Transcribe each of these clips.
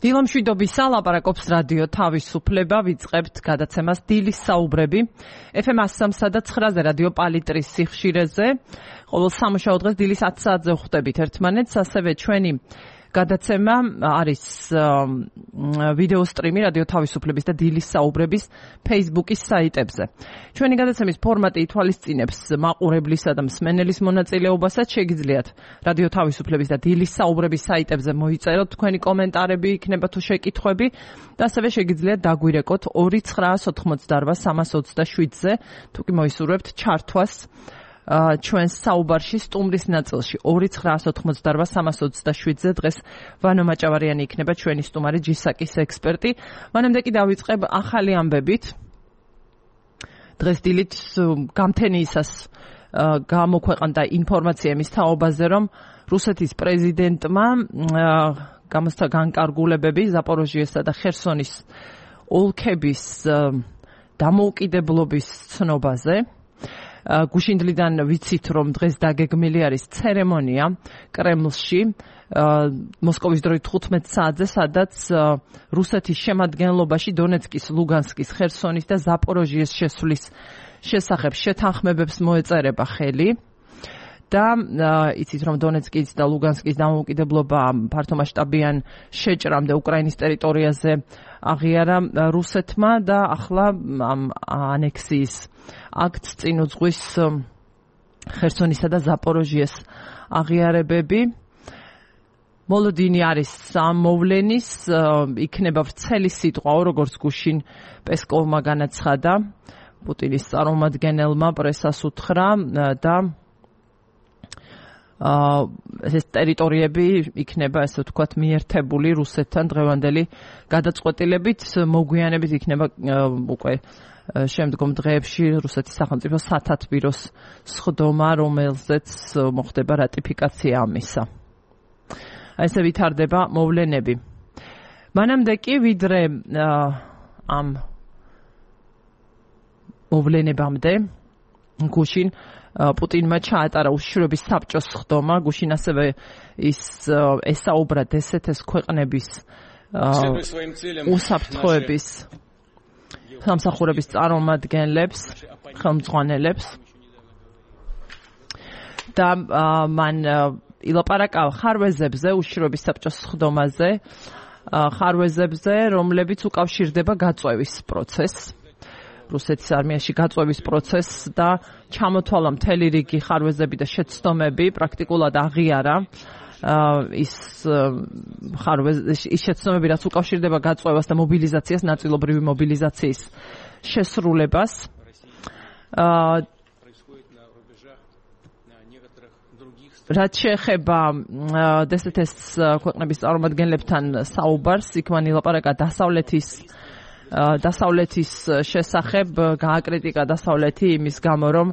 დილამშვიდობისა ლაპარაკობს რადიო თავისუფლება, ვიწყებთ გადაცემას დილის საუბრები. FM 103 და 9-ზე რადიო პალიტრის სიხშირეზე. ყოველ სამუშაო დღეს დილის 10 საათზე ვხვდებით ერთმანეთს, ასევე ჩვენი გადაცემა არის ვიდეო სტრიმი რადიო თავისუფლების და დილის საუბრების Facebook-ის საიტებზე. ჩვენი გადაცემის ფორმატი ითვალისწინებს მაყურებლისა და მსმენელის მონაწილეობასაც. შეგიძლიათ რადიო თავისუფლების და დილის საუბრების საიტებზე მოიწეროთ თქვენი კომენტარები, იქნება თუ შეკითხვები და ასევე შეგიძლიათ დაგვირეკოთ 2988327-ზე, თუ კი მოისურვებთ ჩართვას ჩვენს საუბარში სტუმრის ნაწილში 2988327-ზე. დღეს ვანო მაჭავარიანი იქნება ჩვენი სტუმარი, ჯისაკის ექსპერტი. მანამდე კი დავიწყებ ახალი ამბებით. დღეს დილით გამთენიისას გამოქვეყნდა ინფორმაცია იმის თაობაზე, რომ რუსეთის პრეზიდენტმა გამოსცა განკარგულებები ზაპოროჟიესა და ხერსონის ოლქების დამოუკიდებლობის ცნობაზე. გუშინდლიდან ვიცით, რომ დღეს დაგეგმილი არის ცერემონია კრემლში, მოსკოვის დროით 15 საათზე, სადაც რუსეთის შემადგენლობაში დონეცკის, ლუგანსკის, ხერსონის და ზაპოროჟიეს შესვლის შესახებ შეთანხმებებს მოეწერება ხელი. და იცით, რომ დონეცკის და ლუგანსკის დამოუკიდებლობა ფართომასშტაბიან შეჭრამდე უკრაინის ტერიტორიაზე აღიარა რუსეთმა და ახლა ამ ანექსიის აქტს წინ უძღვის ხერსონისა და ზაპოროჟიეს აღიარებები. მოლოდინი არის ამ მოვლენის, იქნება ვრცელი სიტყვა, როგორც გუშინ პესკოვმა განაცხადა, პუტინის წარმომადგენელმა პრესას უთხრა და ეს ტერიტორიები იქნება, ასე ვთქვათ, მიერთებული რუსეთთან დღევანდელი გადაწყვეტილებით, მოგვიანებით იქნება უკვე შემდგომ დღეებში რუსეთის სახელმწიფო სათათბიროს სხდომა, რომელზეც მოხდება რატიფიკაცია ამისა. ესე ვითარდება მოვლენები. მანამდე კი ვიდრე ამ მოვლენებამდე გუშინ პუტინმა ჩაატარა უშიშროების საბჭოს სხდომა, გუშინ ასევე ის ესაუბრა დსთ-ს ქვეყნების უსაფრთხოების სამსახურების წარმომადგენლებს, ხელმძღვანელებს და მან ილაპარაკა ხარვეზებზე, უშიშროების საბჭოს სხდომაზე, ხარვეზებზე, რომლებიც უკავშირდება გაწვევის პროცესს. რუსეთის არმიაში გაწვევის პროცესს და ჩამოთვალა მთელი რიგი ხარვეზები და შეცდომები, პრაქტიკულად აღიარა ის შეცდომები, რაც უკავშირდება გაწვევას და მობილიზაციას, ნაწილობრივი მობილიზაციის შესრულებას. რაც შეეხება დსთ-ს ქვეყნების წარმომადგენლებთან საუბარს, იქ მან ილაპარაკა დასავლეთის შესახებ, გააკრიტიკა დასავლეთი იმის გამო, რომ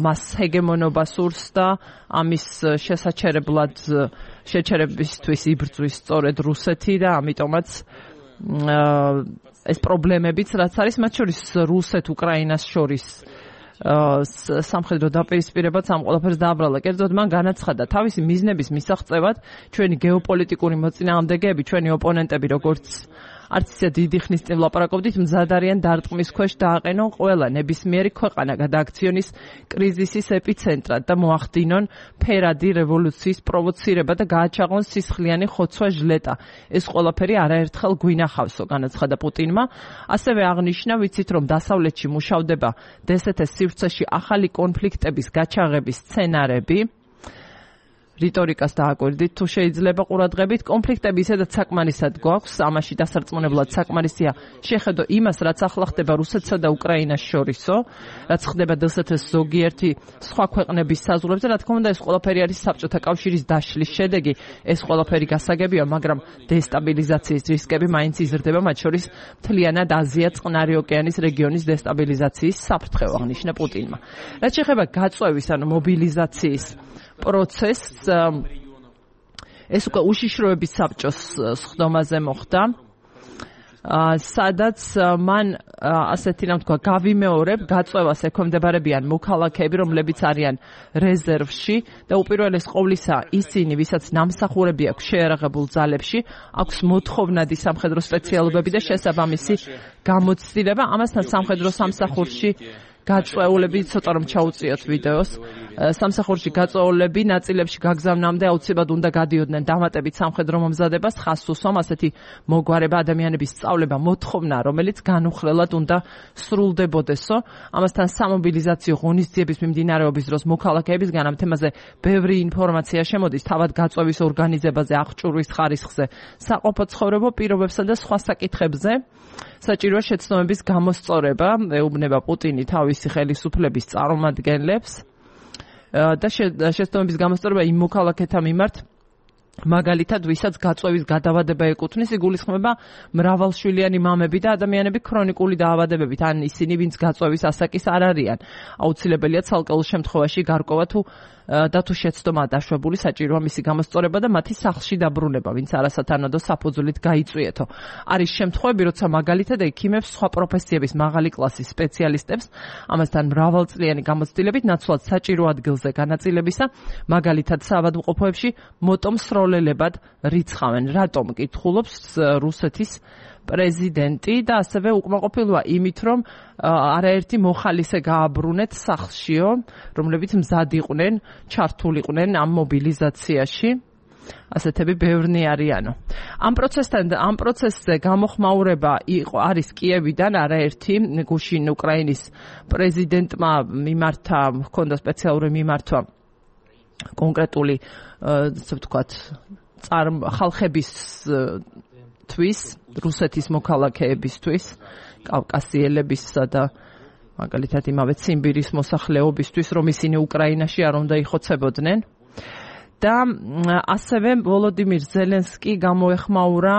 მას ჰეგემონობა სურს და ამის შესაჩერებლად შეჩერებისთვის იბრძვის სწორედ რუსეთი და ამიტომაც ეს პრობლემებიც, რაც არის მათ შორის რუსეთ-უკრაინას შორის სამხედრო დაპირისპირებაც ამ ყველაფერს დააბრალა. კერძოდ მან განაცხადა თავისი მიზნების მისაღწევად ჩვენი გეოპოლიტიკური მოწინააღმდეგეები, ჩვენი ოპონენტები, როგორც არც ისე დიდი ხნის წინ ვლაპარაკობდით, მზად არიან დარტყმის ქვეშ დააყენონ ყველა ნებისმიერი ქვეყანა გადააქციონის კრიზისის ეპიცენტრად და მოახდინონ ფერადი რევოლუციის პროვოცირება და გააჩაღონ სისხლიანი ხოცვა ჟლეტა. ეს ყველაფერი არაერთხელ გვინახავსო, განაცხადა პუტინმა. ასევე აღნიშნა, ვიცით, რომ დასავლეთში მუშავდება დსთ-ს სივრცეში ახალი კონფლიქტების გაჩაღების სცენარები. რიტორიკას დააკვირდით, თუ შეიძლება ყურადღებით, კონფლიქტები ისედაც საკმარისად გვაქვს, ამაში დასარწმუნებლად საკმარისია შეხედო იმას, რაც ახლა ხდება რუსეთსა და უკრაინას შორისო, რაც ხდება დსთ-ს ზოგიერთი სხვა ქვეყნების საზღვრებზე, რა თქმა უნდა, ეს ყველაფერი არის საბჭოთა კავშირის დაშლის შედეგი, ეს ყველაფერი გასაგებია, მაგრამ დესტაბილიზაციის რისკები მაინც იზრდება, მათ შორის მთლიანად აზია, წყნარი ოკეანის რეგიონის დესტაბილიზაციის საფრთხე, აღნიშნა პუტინმა. რაც შეეხება გაწვევის, ანუ მობილიზაციის პროცესს, ეს უკვე უშიშროების საბჭოს სხდომაზე მოხდა. სადაც მან ასეთი რამ თქვა გავიმეორებ გაწევას ექვემდებარებიან მოქალაქეები, რომლებიც არიან რეზერვში და უპირველეს ყოვლისა ისინი, ვისაც ნამსახურები აქვს შეიარაღებულ ძალებში, აქვს მოთხოვნადი სამხედრო სპეციალობები და შესაბამისი გამოცდილება. ამასთან სამხედრო სამსახურში გაწვეულები ცოტა რომ ჩაუწიოთ ვიდეოს. სამსახურში გაწვეულები ნაწილებში გაგზავნამდე აუცილებლად უნდა გადიოდნენ დამატებით სამხედრო მომზადებას, ხაზს უსვამ ასეთი მოგვარება ადამიანების სწავლება მოთხოვნა, რომელიც განუხრელად უნდა სრულდებოდესო. ამასთან სამობილიზაციო ღონისძიების მიმდინარეობის დროს მოქალაქეებისგან ამ თემაზე ბევრი ინფორმაცია შემოდის თავად გაწვევის ორგანიზებაზე, აღჭურვის ხარისხზე, საყოფაცხოვრებო პირობებსა და სხვა საკითხებზე. საჭიროა შეცდომების გამოსწორება, ეუბნება პუტინი თავისი ხელისუფლების წარმომადგენლებს და შეცდომების გამოსწორება იმ მოქალაქეთა მიმართ, მაგალითად, ვისაც გაწვევის გადავადება ეკუთვნის, იგულისხმება მრავალშვილიანი მამები და ადამიანები ქრონიკული დაავადებებით, ან ისინი, ვინც გაწვევის ასაკის არ არიან. აუცილებელია ცალკეულ შემთხვევაში გარკვევა და თუ შეცდომა დაშვებული, საჭიროა მისი გამოსწორება და მათი სახლში დაბრუნება, ვინც არასათანადო საფუძვლით გაიწვიეთო. არის შემთხვევები, როცა მაგალითად ექიმებს, სხვა პროფესიების მაღალი კლასის სპეციალისტებს, ამასთან მრავალწლიანი გამოცდილებით ნაცვლად საჭირო ადგილზე განაწილებისა, მაგალითად საავადმყოფოებში მოტომსროლელებად რიცხავენ. რატომ კითხულობს რუსეთის პრეზიდენტი და ასევე უკმაყოფილოა იმით, რომ არაერთი მოხალისე გააბრუნეთ სახლშიო, რომლებიც მზად იყვნენ, ჩართულიყვნენ ამ მობილიზაციაში. ასეთები ბევრნი არიანო. ამ პროცესზე გამოხმაურება არის კიევიდან არაერთი გუშინ უკრაინის პრეზიდენტმა მიმართა, ჰქონდა სპეციალური მიმართვა კონკრეტული, ასე ვთქვათ, ხალხებისთვის, რუსეთის მოქალაქეებისთვის, კავკასიელებისა და მაგალითად იმავე ციმბირის მოსახლეობისთვის, რომ ისინი უკრაინაში არ უნდა იხოცებოდნენ. და ასევე ვოლოდიმირ ზელენსკი გამოეხმაურა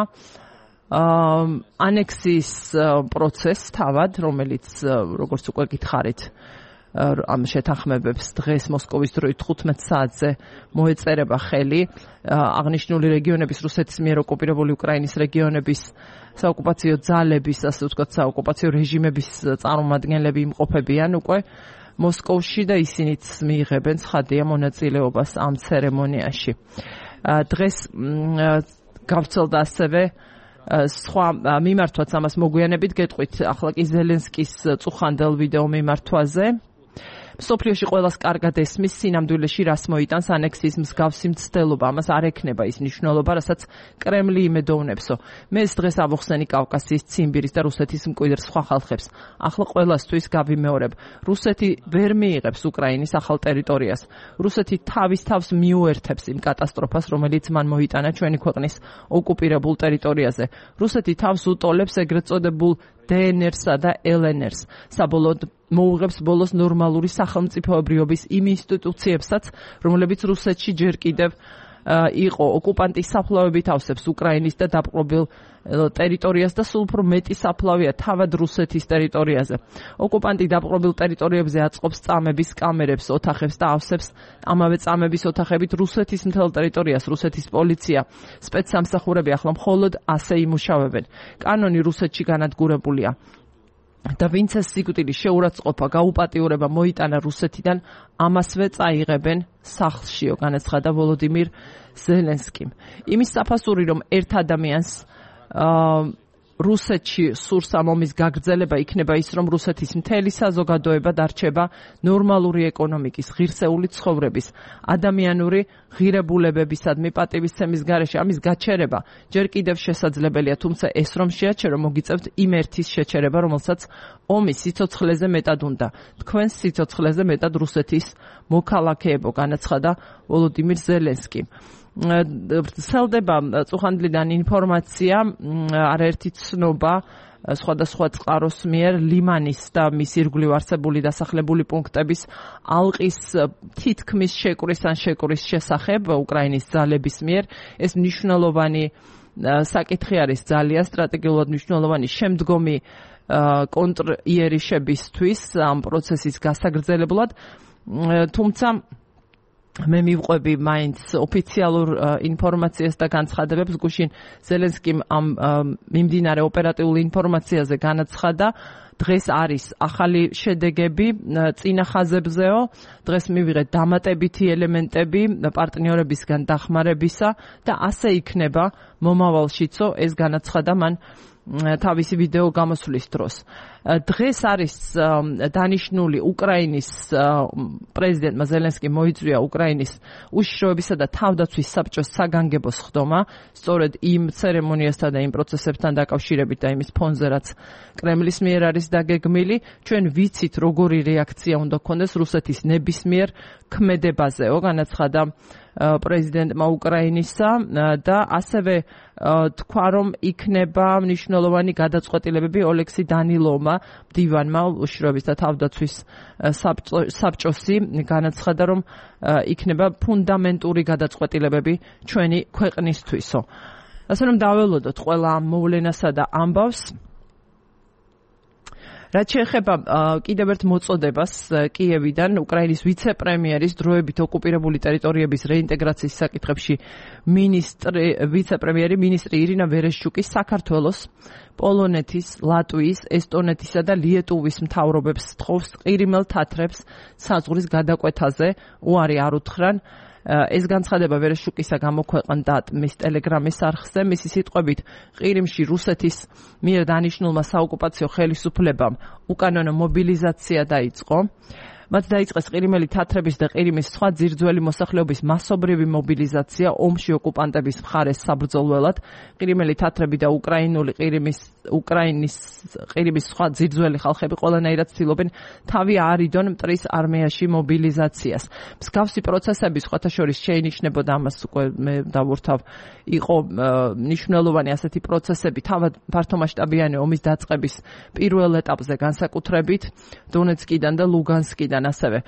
ანექსიის პროცესს თავად, რომელიც როგორც უკვე გითხარით, ამ შეთანხმებებს დღეს მოსკოვის დროით 15 საათზე მოეწერება ხელი. აღნიშნული რეგიონების, რუსეთის მიერ ოკუპირებული უკრაინის რეგიონების საოკუპაციო ძალების, ასე ვთქვათ, საოკუპაციო რეჟიმების წარმომადგენლები იმყოფებიან უკვე მოსკოვში და ისინიც მიიღებენ ცხადია მონაწილეობას ამ ცერემონიაში. დღეს გავრცელდა ასევე სხვა მიმართვაც ამას მოგვიანებით გეტყვით ახლა კი ზელენსკის წუხანდელ ვიდეო მიმართვაზე. მსოფლიოში ყველას კარგად ესმის სინამდვილეში რას მოიტანს ანექსიის მსგავსი მცდელობა, ამას არ ექნება ის მნიშვნელობა, რასაც კრემლი იმედოვნებსო. მე ეს დღეს ავუხსენი კავკასიის, ციმბირის და რუსეთის მკვიდრ სხვა ხალხებს. ახლა ყველასთვის გავიმეორებ, რუსეთი ვერ მიიღებს უკრაინის ახალ ტერიტორიას. რუსეთი თავის თავს მიუერთებს იმ კატასტროფას, რომელიც მან მოიტანა ჩვენი ქვეყნის ოკუპირებულ ტერიტორიაზე. რუსეთი თავს უტოლებს ეგრეთ წოდებულ DNR-სა და LNR-ს. საბოლოოდ მოუღებს ბოლოს ნორმალური სახელმწიფოებრიობის იმ ინსტიტუციებსაც, რომლებიც რუსეთში ჯერ კიდევ იყო. ოკუპანტის საფლავებით ავსებს უკრაინის და დაპყრობილ ტერიტორიას და სულ უფრო მეტი საფლავია თავად რუსეთის ტერიტორიაზე. ოკუპანტი დაპყრობილ ტერიტორიებზე აწყობს წამების კამერებს, ოთახებს და ავსებს ამავე წამების ოთახებით რუსეთის მთელ ტერიტორიას. რუსეთის პოლიცია, სპეცსამსახურები ახლა მხოლოდ ასე იმუშავებენ. კანონი რუსეთში განადგურებულია. და ვინც ეს სიკვდილი შეურაცხყოფა, გაუპატიურება მოიტანა რუსეთიდან, ამასვე წაიღებენ სახლშიო, განაცხადა ვოლოდიმირ ზელენსკიმ. იმის საფასური, რომ ერთ ადამიანს რუსეთში სურს ამ ომის გაგრძელება, იქნება ის, რომ რუსეთის მთელი საზოგადოება დარჩება ნორმალური ეკონომიკის, ღირსეული ცხოვრების, ადამიანური ღირებულებებისადმი პატივისცემის გარეშე. ამის გაჩერება ჯერ კიდევ შესაძლებელია, თუმცა ეს რომ შეაჩერო, მოგიწევთ იმ ერთის შეჩერება, რომელსაც ომის სიცოცხლეზე მეტად უნდა. თქვენს სიცოცხლეზე მეტად რუსეთის მოქალაქეებო, განაცხადა ვოლოდიმირ ზელენსკიმ. ვრცელდება წუხანდლიდან ინფორმაცია, არაერთი ცნობა სხვადასხვა წყაროს მიერ ლიმანის და მის ირგვლივ არსებული დასახლებული პუნქტების ალყის თითქმის შეკვრის ან შეკვრის შესახებ უკრაინის ძალების მიერ. ეს მნიშვნელოვანი საკითხი არის, ძალიან სტრატეგიულად მნიშვნელოვანი შემდგომი კონტრიერიშებისთვის ამ პროცესის გასაგრძელებლად, თუმცა მე მივყვები მაინც ოფიციალურ ინფორმაციას და განცხადებებს. გუშინ ზელენსკიმ ამ მიმდინარე ოპერატიულ ინფორმაციაზე განაცხადა. დღეს არის ახალი შედეგები წინა ხაზებზეო. დღეს მივიღეთ დამატებითი ელემენტები პარტნიორებისგან დახმარებისა და ასე იქნება მომავალშიცო, ეს განაცხადა მან თავისი ვიდეო გამოსვლის დროს. დღეს არის დანიშნული უკრაინის პრეზიდენტმა ზელენსკიმ მოიწვია უკრაინის უშიშროებისა და თავდაცვის საბჭოს საგანგებო სხდომა, სწორედ იმ ცერემონიასთან და იმ პროცესებთან დაკავშირებით და იმის ფონზე, რაც კრემლის მიერ არის დაგეგმილი. ჩვენ ვიცით, როგორი რეაქცია უნდა გქონდეს რუსეთის ნებისმიერ ქმედებაზეო, განაცხადა პრეზიდენტმა უკრაინისა და ასევე თქვა, რომ იქნება მნიშვნელოვანი გადაწყვეტილებები ოლექსი დანილოვმა, მდივანმა უშიშროების და თავდაცვის საბჭოსი განაცხადა, რომ იქნება ფუნდამენტური გადაწყვეტილებები ჩვენი ქვეყნისთვისო. ასე რომ დაველოდოთ ყველა ამ მოვლენასა და ამბავს. რაც შეეხება კიდევ ერთ მოწოდებას კიევიდან, უკრაინის ვიცე-პრემიერის დროებით ოკუპირებული ტერიტორიების რეინტეგრაციის საკითხებში ვიცე-პრემიერი მინისტრი ირინა ვერეშჩუკი საქართველოს, პოლონეთის, ლატვიის, ესტონეთისა და ლიეტუვის მთავრობებს სთხოვს ყირიმელ თათრებს საზღვრის გადაკვეთაზე უარი არ უთხრან. ეს განცხადება ვერეშჩუკისა გამოქვეყნდა მის ტელეგრამის არხზე. მისი სიტყვებით, ყირიმში რუსეთის მიერ დანიშნულმა საოკუპაციო ხელისუფლებამ უკანონო მობილიზაცია დაიწყო. მათ დაიწყეს ყირიმელი თათრების და ყირიმის სხვა ძირძველი მოსახლეობის მასობრივი მობილიზაცია ომში ოკუპანტების მხარეს საბრძოლველად. ყირიმელი თათრები და უკრაინის ყირიმის სხვა ძირძველი ხალხები ყველანაირად ცდილობენ თავი აარიდონ მტრის არმიაში მობილიზაციას. მსგავსი პროცესები სხვათა შორის შეინიშნებოდა, ამას უკვე მე დავურთავ, იყო მნიშვნელოვანი ასეთი პროცესები თავად ფართომასშტაბიანი ომის დაწყების პირველ ეტაპზე, განსაკუთრებით დონეცკიდან და ლუგანსკიდან. ასევე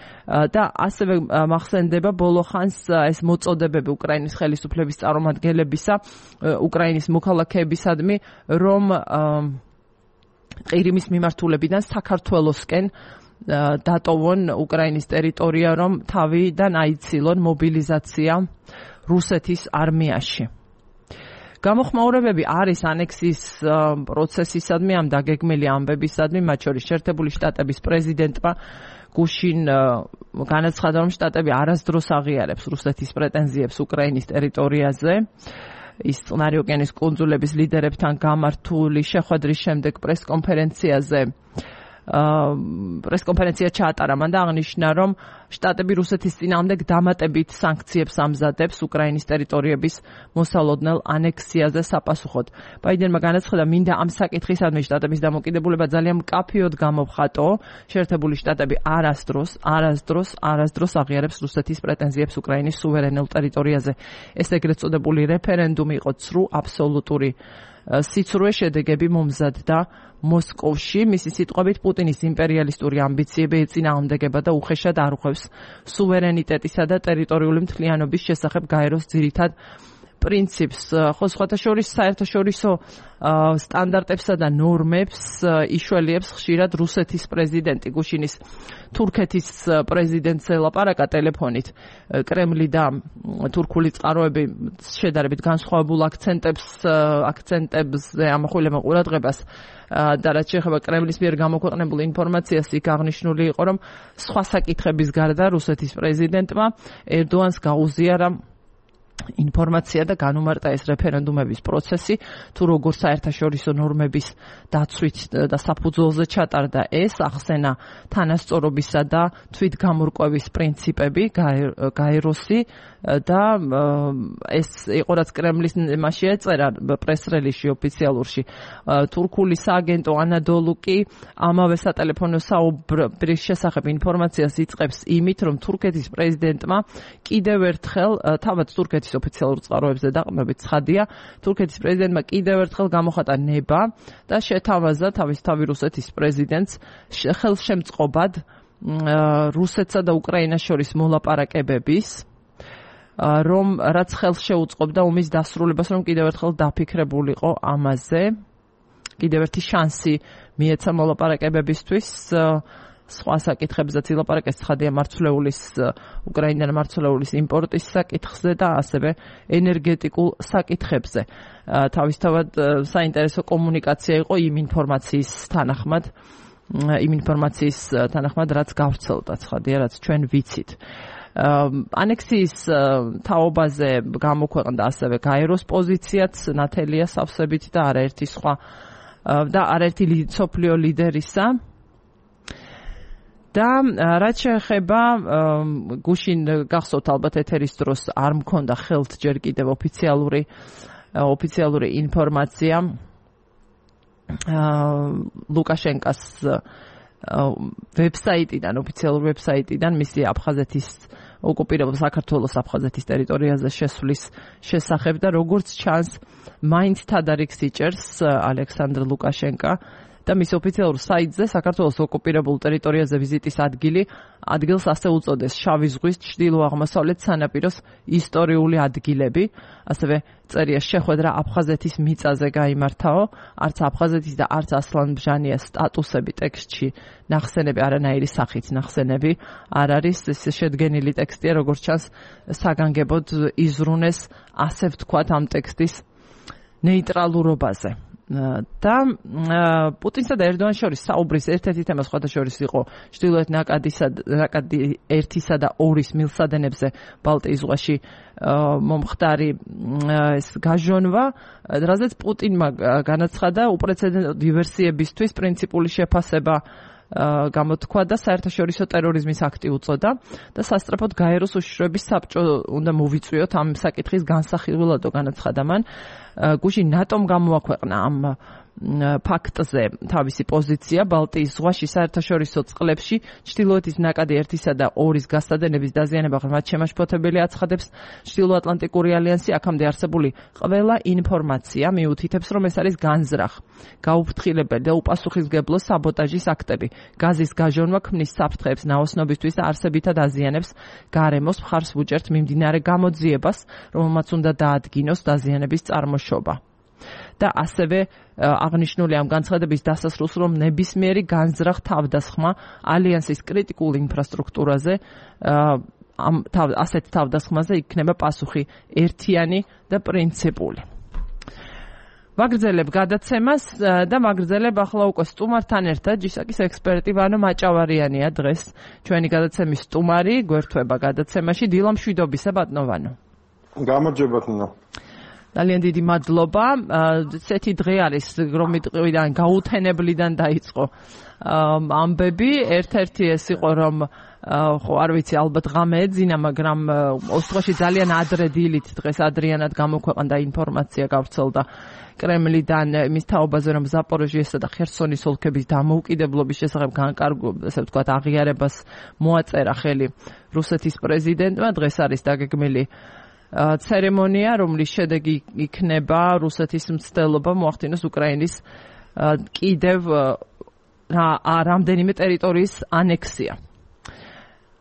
და ასევე მახსენდება ბოლო ხანს ეს მოწოდებები უკრაინის ხელისუფლების წარმომადგენლებისა უკრაინის მოქალაქეებისადმი, რომ ყირიმის მიმართულებიდან საქართველოსკენ დატოვონ უკრაინის ტერიტორია, რომ თავიდან აიცილონ მობილიზაცია რუსეთის არმიაში. გამოხმაურებები არის ანექსის პროცესისადმი, ამ დაგეგმილი ამბებისადმი, მათ შორის შეერთებული შტატების პრეზიდენტმა გუშინ განაცხადა, რომ შტატები არასდროს აღიარებს რუსეთის პრეტენზიებს უკრაინის ტერიტორიაზე. ის წყნარი ოკეანის კუნძულების ლიდერებთან გამართული შეხვედრის შემდეგ პრესკონფერენცია ჩაატარა. მან აღნიშნა, რომ შტატები რუსეთის წინააღმდეგ დამატებით სანქციებს ამზადებს უკრაინის ტერიტორიების მოსალოდნელ ანექსიაზე sapasუხოდ. ბაიდენმა განაცხადა, მინდა ამ საკითხისადმი შტატების დამოკიდებულება ძალიან მკაფიოდ გამოვხატო. შეერთებული შტატები არასდროს აღიარებს რუსეთის პრეტენზიებს უკრაინის სუვერენულ ტერიტორიაზე. ეს ეგრეთ წოდებული რეფერენდუმი იყო ცრუ აბსოლუტური სიცრუე შედეგები მომზადდა მოსკოვში. მისი სიტყვებით, პუტინის იმპერიალისტური ამბიციები ეწინააღმდეგება და უხეშად არ უხვევს სუვერენიტეტისა და ტერიტორიული მთლიანობის შესახებ გაეროს ძირითად პრინციპს. ხო, სხვათა შორის საერთაშორისო სტანდარტებსა და ნორმებს იშველიებს ხშირად რუსეთის პრეზიდენტი. გუშინის თურქეთის პრეზიდენტს ელაპარაკა ტელეფონით. კრემლი და თურქული წყაროები შედარებით განსხვავებულ აქცენტებზე ამახვილებენ ყურადღებას და რაც შეეხება კრემლის მიერ გამოქვეყნებულ ინფორმაციას, იქ აღნიშნული იყო, რომ სხვა საკითხების გარდა რუსეთის პრეზიდენტმა ერდოანს გაუზიარა ინფორმაცია და განუმარტა ეს რეფერენდუმების პროცესი, თუ როგორ საერთაშორისო ნორმების დაცვით და საფუძველზე ჩატარდა ეს, ახსენა თანასწორობისა და თვითგამორკვევის პრინციპები, გაეროსი და ეს იყო რაც კრემლის მასში ეწერა პრეს-რელიზში ოფიციალურში. თურქული სააგენტო ანადოლუ კი ამავე სატელეფონო საუბრის შესახებ ინფორმაციას იწყებს იმით, რომ თურქეთის პრეზიდენტმა კიდევ ერთხელ თავად თურქეთის ოფიციალურ წყაროებზე დაყრდნობით ცხადია, თურქეთის პრეზიდენტმა კიდევ ერთხელ გამოხატა ნება და შეთავაზა თავისთავად რუსეთის პრეზიდენტს ხელშემწყობად რუსეთსა და უკრაინას შორის მოლაპარაკებების, რომ რაც ხელს შეუწყობდა ომის დასრულებას, რომ კიდევ ერთხელ დაფიქრებულიყო ამაზე. კიდევ ერთი შანსი მიეცა მოლაპარაკებებისთვის. სხვა საკითხებზეც ილაპარაკეს, ცხადია მარცვლეულის უკრაინიდან მარცვლეულის იმპორტის საკითხზე და ასევე ენერგეტიკულ საკითხებზე. თავისთავად საინტერესო კომუნიკაცია იყო იმ ინფორმაციის თანახმად, რაც გავრცელდა, ცხადია, რაც ჩვენ ვიცით. ანექსიის თაობაზე გამოქვეყნდა ასევე გაეროს პოზიციაც ნათელია სავსებით და არაერთი სხვა და არაერთი სოფლიო ლიდერისა. და რაც შეეხება გუშინ გახსოვთ ალბათ ეთერის დროს არ მქონდა ხელთ ჯერ კიდევ ოფიციალური ინფორმაცია ლუკაშენკას ვებსაიტიდან, ოფიციალურ ვებსაიტიდან მისი აფხაზეთის ოკუპირებულ საქართველოს აფხაზეთის ტერიტორიაზე შესვლის შესახებ და როგორც ჩანს მაინც თადარიგს იჭერს ალექსანდრ ლუკაშენკა და მის ოფიციალურ საიტზე საქართველოს ოკუპირებულ ტერიტორიაზე ვიზიტის ადგილს ასე უწოდეს შავი ზღვის ჩრდილო-აღმოსავლეთ სანაპიროს ისტორიული ადგილები, ასევე წერია შეხვედრა აფხაზეთის მიწაზე გაიმართაო, არც აფხაზეთის და არც ასლანბჟანიას სტატუსები ტექსტში ნახსენები, არანაირი სახით ნახსენები არ არის, ეს შედგენილი ტექსტია, როგორც ჩანს საგანგებოდ იზრუნეს, ასე ვთქვათ, ამ ტექსტის ნეიტრალურობაზე. და პუტინსა და ერდოანის შორის საუბრის ერთ-ერთი თემა სხვადასხვა იყო ჩრდილოეთ ნაკადი 1-ისა და 2-ის მილსადენებზე ბალტიის ზღვაში მომხდარი ეს გაჟონვა, რაზეც პუტინმა განაცხადა უპრეცედენტო დივერსიებისთვის პრინციპული შეფასება გამოთქვა და საერთაშორისო ტერორიზმის აქტი უწოდა და სასწრაფოდ გაეროს უშიშროების საბჭო უნდა მოვიწვიოთ ამ საკითხის განსახილველადო განაცხადა მან. გუშინ ნატომ გამოაქვეყნა ამ ფაქტზე თავისი პოზიცია ბალტიის ზღვაში საერთაშორისო წყლებში ჩრდილოეთის ნაკადი 1-ისა და 2-ის გასადენების დაზიანება ღრმად შემაშფოთებელი აცხადებს ჩრდილოატლანტიკური ალიანსი. აქამდე არსებული ყველა ინფორმაცია მიუთითებს, რომ ეს არის განზრახ, გაუფრთხილებელი და უპასუხისმგებლო საბოტაჟის აქტები. გაზის გაჟონვა ქმნის საფრთხეებს ნაოსნობისთვის და არსებითად აზიანებს გარემოს მხარს უჭერთ მიმდინარე გამოძიებას, რომელმაც უნდა დაადგინოს დაზიანების წარმოშობა. და ასევე აღნიშნული ამ განცხადების დასასრულს, რომ ნებისმიერი განზრახ თავდასხმა ალიანსის კრიტიკულ ინფრასტრუქტურაზე ასეთ თავდასხმაზე იქნება პასუხი ერთიანი და პრინციპული. ვაგრძელებ გადაცემას და ვაგრძელებ ახლა უკვე სტუმართან ერთად ჯისაკის ექსპერტი ვანო მაჭავარიანია დღეს ჩვენი გადაცემის სტუმარი, გვერდება გადაცემაში. დილა მშვიდობისა ბატონო ვანო. გამარჯობა თნო. ძალიან დიდი მადლობა. ესეთი დღე არის, რომ მიტყვიდან გაუთენებლიდან დაიწყო ამბები. ერთ-ერთი ეს იყო, რომ ხო არ ვიცი, ალბათ ღამე ეძინა, მაგრამ ოსტოში ძალიან ადრე დილით დღეს ადრიანად გამოქვეყნდა ინფორმაცია, გავრცელდა კრემლიდან იმის თაობაზე, რომ ზაპოროჟიესა და ხერსონის ოლქების დამოუკიდებლობის შესახებ ასე ვთქვათ აღიარებას მოაწერა ხელი რუსეთის პრეზიდენტმა. დღეს არის დაგეგმილი ცერემონია, რომლის შედეგი იქნება რუსეთის მცდელობა მოახდინოს უკრაინის კიდევ რამდენიმე ტერიტორიის ანექსია.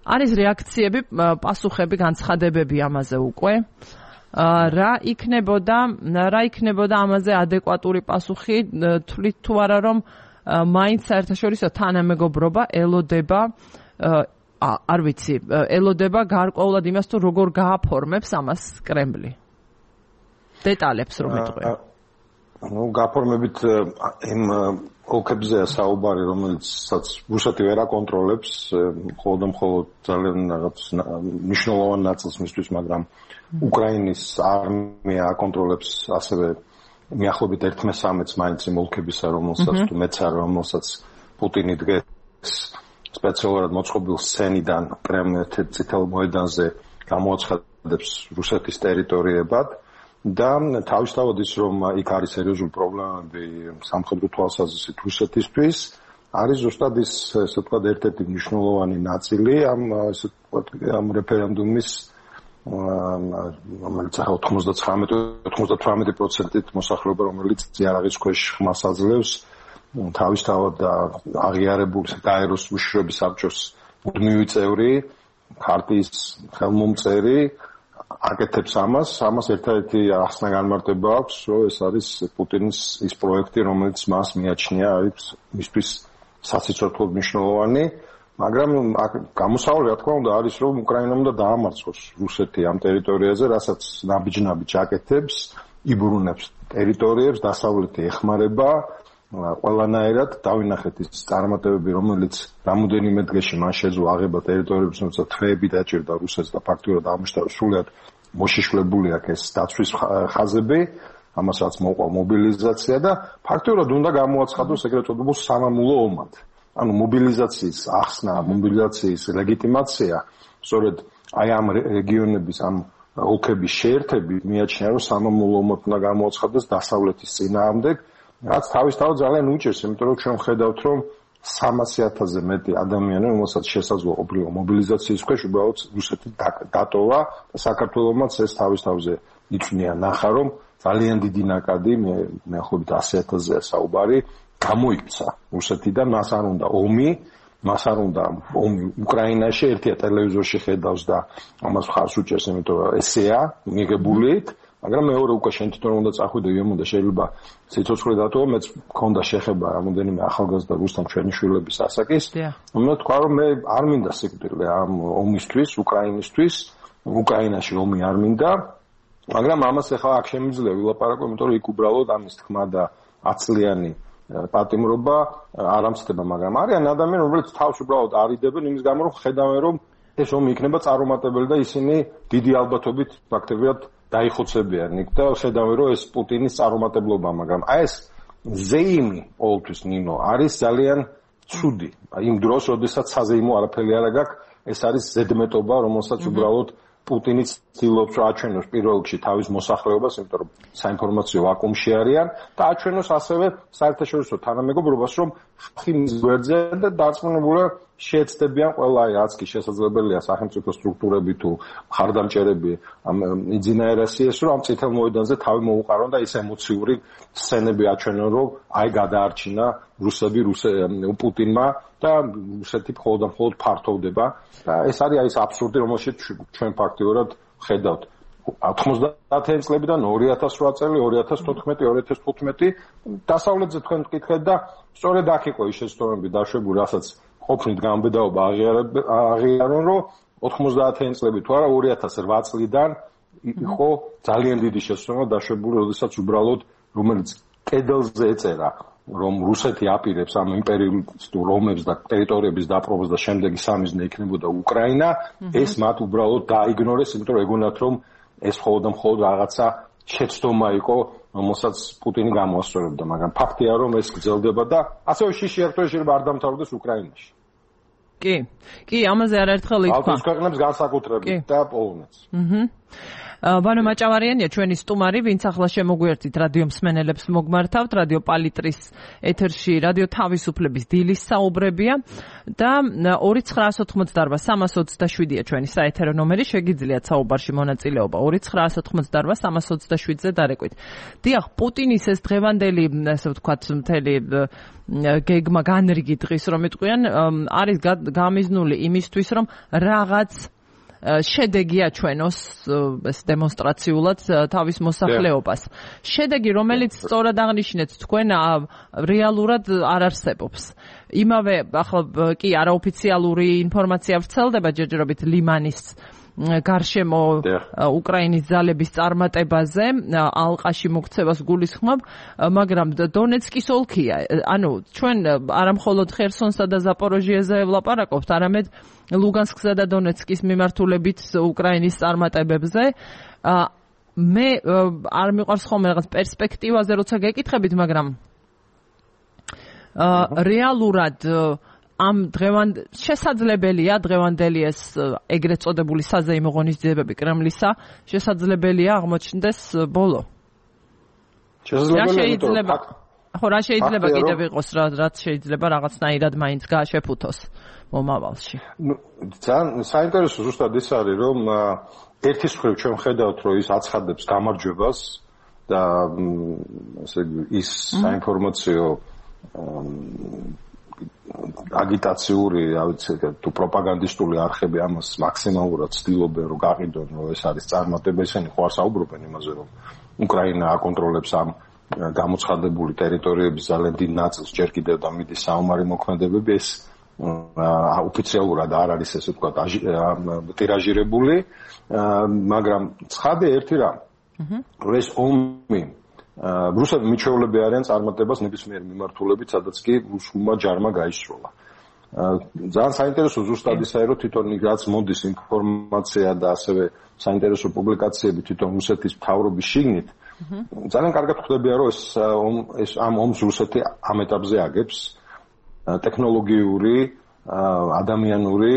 არის რეაქციები, პასუხები, განცხადებები ამაზე უკვე. რა იქნებოდა ამაზე ადეკვატური პასუხი, თვლით თუ არა, რომ მაინც საერთაშორისო თანამეგობრობა ელოდება არ ვიცი, ელოდება გარკვეულად იმას, თუ როგორ გააფორმებს ამას კრემლი. დეტალებს რომ ეტყვი. გაფორმებით იმ ოლქებზეა საუბარი, რომელიცაც რუსეთი ვერ აკონტროლებს, მხოლოდ ძალიან რაღაც მნიშვნელოვან ნაწილს მისთვის, მაგრამ უკრაინის არმია აკონტროლებს ასევე მიახლოებით 1/13 მაინც იმ ოლქებისა, რომელსაც თუ მეც არ რომელსაც პუტინი დღეს სპეციალურად მოწყობილ სცენიდან კრემლის წითელ მოედანზე გამოაცხადებს რუსეთის ტერიტორიებად და თავისთავად ის, რომ იქ არის სერიოზული პრობლემები სამხედრო თვალსაზრისით რუსეთისთვის, არის ზუსტად ის, ესე ვთქვათ, ერთ-ერთი მნიშვნელოვანი ნაწილი ამ რეფერენდუმის, რომელიც 99-98% მოსახლეობა, რომელიც იარაღის ქვეშ ხმას აძლევს, თავისთავად აღიარებულ გაეროს უშიშროების საბჭოს მუდმივი წევრი, ქარტიის ხელმომწერი აკეთებს ამას ერთადერთი ახსნა განმარტება აქვს, რომ ეს არის პუტინის ის პროექტი, რომელიც მას მიაჩნია არის მისთვის სასიცოცხლოდ მნიშვნელოვანი მაგრამ გამოსავალი რა თქმა უნდა არის რომ უკრაინამ უნდა დაამარცხოს რუსეთი ამ ტერიტორიაზე, რასაც ნაბიჯ-ნაბიჯ აკეთებს, იბრუნებს ტერიტორიებს, დასავლეთი ეხმარება ყველანაირად. დავინახეთ ის წარმატებები, რომელიც რამოდენიმე დღეში მან შეძლო აღება ტერიტორიებს, თუმცა თვეები დაჭირდა რუსეთს და ფაქტურად ამუშავდა სრულად მოშიშვლებული აქვს ეს დაცვის ხაზები, ამასაც მოყვა მობილიზაცია და ფაქტურად უნდა გამოაცხადოს ეგრეთ წოდებულ სამამულო ომად. ანუ მობილიზაციის ახსნა, მობილიზაციის ლეგიტიმაცია, სწორედ აი ამ რეგიონების, ამ ოლქების შეერთები მიაჩნია, რომ სამამულო ომად უნდა გამოაცხადოს დასავლეთის წინააღმდეგ, რაც თავისთავად ძალიან უჭირს, იმიტომ რომ ჩვენ ხედავთ, რომ 300,000-ზე მეტი ადამიანი, რომელსაც შესაძლოა ყოფილიყო მობილიზაციის ქვეშ, უბრალოდ რუსეთი დატოვა და საქართველოსაც ეს თავისთავზე იწვნია ნახა, რომ ძალიან დიდი ნაკადი, მე ხობით 100,000-ზე საუბარი, გამოიქცა რუსეთიდან, მას არ უნდა ომი, მას არ უნდა ომი უკრაინაში, ერთია ტელევიზორში ხედავს და ამას ხარს უჭერს, იმიტომ რომ ესეა მიღებულით, მაგრამ მეორე უკვე შენ თვითონ უნდა წახვიდე იმუნდა შეიძლება სიცოცხლე დატოვა, მეც მქონდა შეხება რამოდენიმე ახალგაზრდა რუსთან ჩვენი შვილების ასაკის. უნდა თქვა რომ მე არ მინდა სიკვდილი ამ ომისთვის, უკრაინისთვის, უკრაინაში ომი არ მინდა, მაგრამ ამას ახლა აქ შემიძლია ვილაპარაკო, იმიტომ რომ იქ უბრალოდ ამის თქმა და 10 წლიანი პატიმრობა არ ამცდება, მაგრამ არიან ადამიანები, რომლებიც თავს უბრალოდ არიდებენ იმის გამო, რომ ხედავენ, რომ ეს ომი იქნება წარუმატებელი და ისინი დიდი ალბათობით ფაქტობრივად დაიხოცებიან იქ და ხედავენ, რომ ეს პუტინის წარუმატებლობა, მაგრამ აი ეს ზეიმი ყოველთვის ნინო არის ძალიან ცუდი. იმ დროს, როდესაც საზეიმო არაფერი არ აქვს, ეს არის ზედმეტობა, რომელსაც უბრალოდ პუტინიც ცდილობს რომ აჩვენოს პირველ რიგში თავის მოსახლეობას, იმიტომ რომ საინფორმაციო ვაკუუმში არიან და აჩვენოს ასევე საერთაშორისო თანამეგობრობას, რომ ხალხი მის გვერდზე და დარწმუნებულია შეეცდებიან ყველა რაც კი შესაძლებელია სახელმწიფო სტრუქტურები თუ მხარდამჭერები ამ იძინაერასიეს, რომ ამ წითელ მოედანზე თავი მოუყარონ და ის ემოციური სცენები აჩვენონ, რომ აი გადაარჩინა რუსები პუტინმა და რუსეთი მხოლოდ ფართოვდება და ეს არის აი ეს აბსურდი, რომელშიც ჩვენ ფაქტიურად ხედავთ 90-იანი წლებიდან 2008 წელი, 2014, 2015 დასავლეთზე თქვენ მკითხეთ და სწორედ აქ იყო ის შეცდომები დაშვებული, რასაც ყოფნით გამბედაობა აღიარონ, რომ 90-იანი წლები თუ არა 2008 წლიდან იყო ძალიან დიდი შეცდომა დაშვებული, როდესაც უბრალოდ რომელიც კედელზე ეწერა რომ რუსეთი აპირებს ამ იმპერიალისტურ ომებს და ტერიტორიების დაპყრობას და შემდეგი სამიზნე იქნებოდა უკრაინა, ეს მათ უბრალოდ დაიგნორეს, იმიტომ რომ ეგონათ რომ ეს მხოლოდ რაღაცა შეცდომა იყო, რომელსაც პუტინი გამოასწორებდა, მაგრამ ფაქტია რომ ეს გრძელდება და ასევე შიში ერთდროულად შეიძლება არ დამთავრდეს უკრაინაში. კი, ამაზე არაერთხელ ითქვა. ბალტიის ქვეყნებს განსაკუთრებით და პოლონეთს. ვანო მაჭავარიანია ჩვენი სტუმარი, ვინც ახლა შემოგვიერთით რადიო მსმენელებს მოგმართავთ, რადიო პალიტრის ეთერში რადიო თავისუფლების დილის საუბრებია და 2988-327-ია ჩვენი საეთერო ნომერი, შეგიძლიათ საუბარში მონაწილეობა 2988-327-ზე დარეკვით. დიახ, პუტინის ეს დღევანდელი, ასე ვთქვათ, მთელი გეგმა განრიგი დღის რომ იტყვიან, არის გამიზნული იმისთვის, რომ რაღაც შედეგი აჩვენოს ეს დემონსტრაციულად თავის მოსახლეობას. შედეგი, რომელიც სწორად აღნიშნეთ თქვენ, რეალურად არ არსებობს. იმავე ახლა კი არაოფიციალური ინფორმაცია ვრცელდება ჯერჯერობით ლიმანის გარშემო უკრაინის ძალების წარმატებაზე, ალყაში მოქცევას გულისხმობ, მაგრამ დონეცკის ოლქია. ანუ ჩვენ არამხოლოდ ხერსონსა და ზაპოროჟიეზე ვლაპარაკობთ, არამედ ლუგანსკსა და დონეცკის მიმართულებით უკრაინის წარმატებებზე. მე არ მიყვარს ხოლმე რაღაც პერსპექტივაზე როცა გეკითხებით, მაგრამ რეალურად ამ შესაძლებელია დღევანდელი ეს ეგრეთ წოდებული საზეიმო ღონისძიებები კრემლისა შესაძლებელია აღმოჩნდეს ბოლო. შესაძლებელია. ხო, რა შეიძლება კიდევ იყოს, რაც შეიძლება რაღაცნაირად მაინც გააშეფუთოს მომავალში. ძალიან საინტერესო ზუსტად ის არის, რომ ერთის მხრივ ჩვენ ხედავთ, რომ ის აცხადებს გამარჯვებას და ასე ის საინფორმაციო აგიტაციური, რა ვიცი, თუ პროპაგანდისტული არხები ამას მაქსიმალურად ცდილობენ, რომ გაყიდონ, რომ ეს არის წარმატება, ისინი ხო არ საუბრობენ იმაზე, რომ უკრაინა აკონტროლებს ამ გამოცხადებული ტერიტორიების ძალიან დიდ ნაწილს, ჯერ კიდევ და მიდის საომარი მოქმედებები, ეს ოფიციალურად არ არის ესე ვთქვათ ტირაჟირებული, მაგრამ ცხადია ერთი რამ. ეს ომი რუსები მიჩვეულები არიან წარმატებას ნებისმიერ მიმართულებით, სადაც კი რუსულმა ჯარმა გაისროლა. ძალიან საინტერესო ზუსტად ისაა, რომ თვითონ რაც მოდის ინფორმაცია და ასევე საინტერესო პუბლიკაციები თვითონ რუსეთის მთავრობის შიგნით, ძალიან კარგად ხვდებია, რომ ეს ამ ომს რუსეთი ამ ეტაპზე აგებს ტექნოლოგიური, ადამიანური,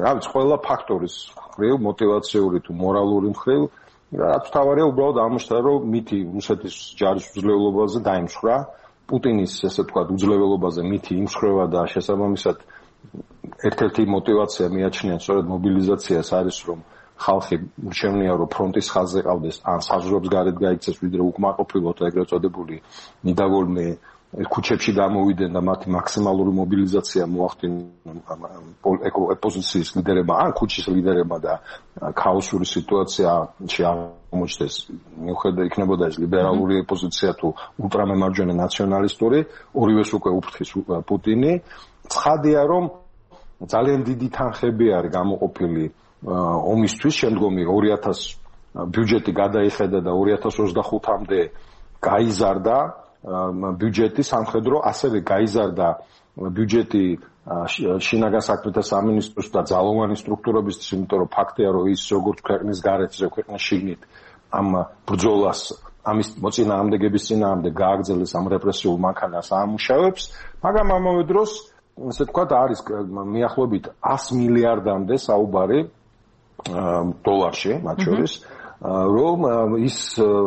რა ვიცი, ყველა ფაქტორის მხრივ, мотиваციური თუ მორალური მხრივ, რაც თავარია უბრალოდ ამოშთა, რომ მითი რუსეთის ჯარის უძლევლობაზე დაიმსხვრა, პუტინის ესე ვთქვათ უძლეველობაზე მითი იმსხვრევა და შესაბამისად ერთ-ერთი мотиваცია მიაჩნიან სწორედ მობილიზაციას არის, რომ ხალხი შევნია, რომ ფრონტის ხაზზე ყავდეს, ან საზღვრებს გარეთ გაიქცეს, ვიდრე უკმაყოფილოთ ეგრეთ წოდებული ნიდავოლნე ქუჩებში გამოვიდნენ და მათი მაქსიმალური მობილიზაცია მოახდინონ ოპოზიციის ლიდერებმა, ან ქუჩის ლიდერებმა და ქაოსური სიტუაციაში აღმოჩნდეს, მიუხედავად იქნებოდა ეს ლიბერალური ოპოზიცია თუ ულტრამემარჯვენე ნაციონალისტური, ორივეს უკვე უფრთხის პუტინი. ცხადია, რომ ძალიან დიდი თანხები არის გამოყოფილი ომისთვის, შემდგომი 2000 ბიუჯეტი გადაიხედა და 2025-მდე გაიზარდა ბიუჯეტი სამხედრო, ასევე გაიზარდა ბიუჯეტი შინაგან საქმეთა სამინისტროს და ძალოვანი სტრუქტურებისთვის, იმიტომ რომ ფაქტია, რომ ის როგორც ქვეყნის გარეთ, ისე ქვეყნის შიგნით ამ ბრძოლას, ამის მოწინააღმდეგების წინააღმდეგ გააგრძელეს ამ რეპრესიულ მანქანას აამუშავებს, მაგრამ ამავე დროს, ესე ვთქვათ, არის მიახლოებით 100 მილიარდამდე საუბარი დოლარში, მათ შორის, რომ ის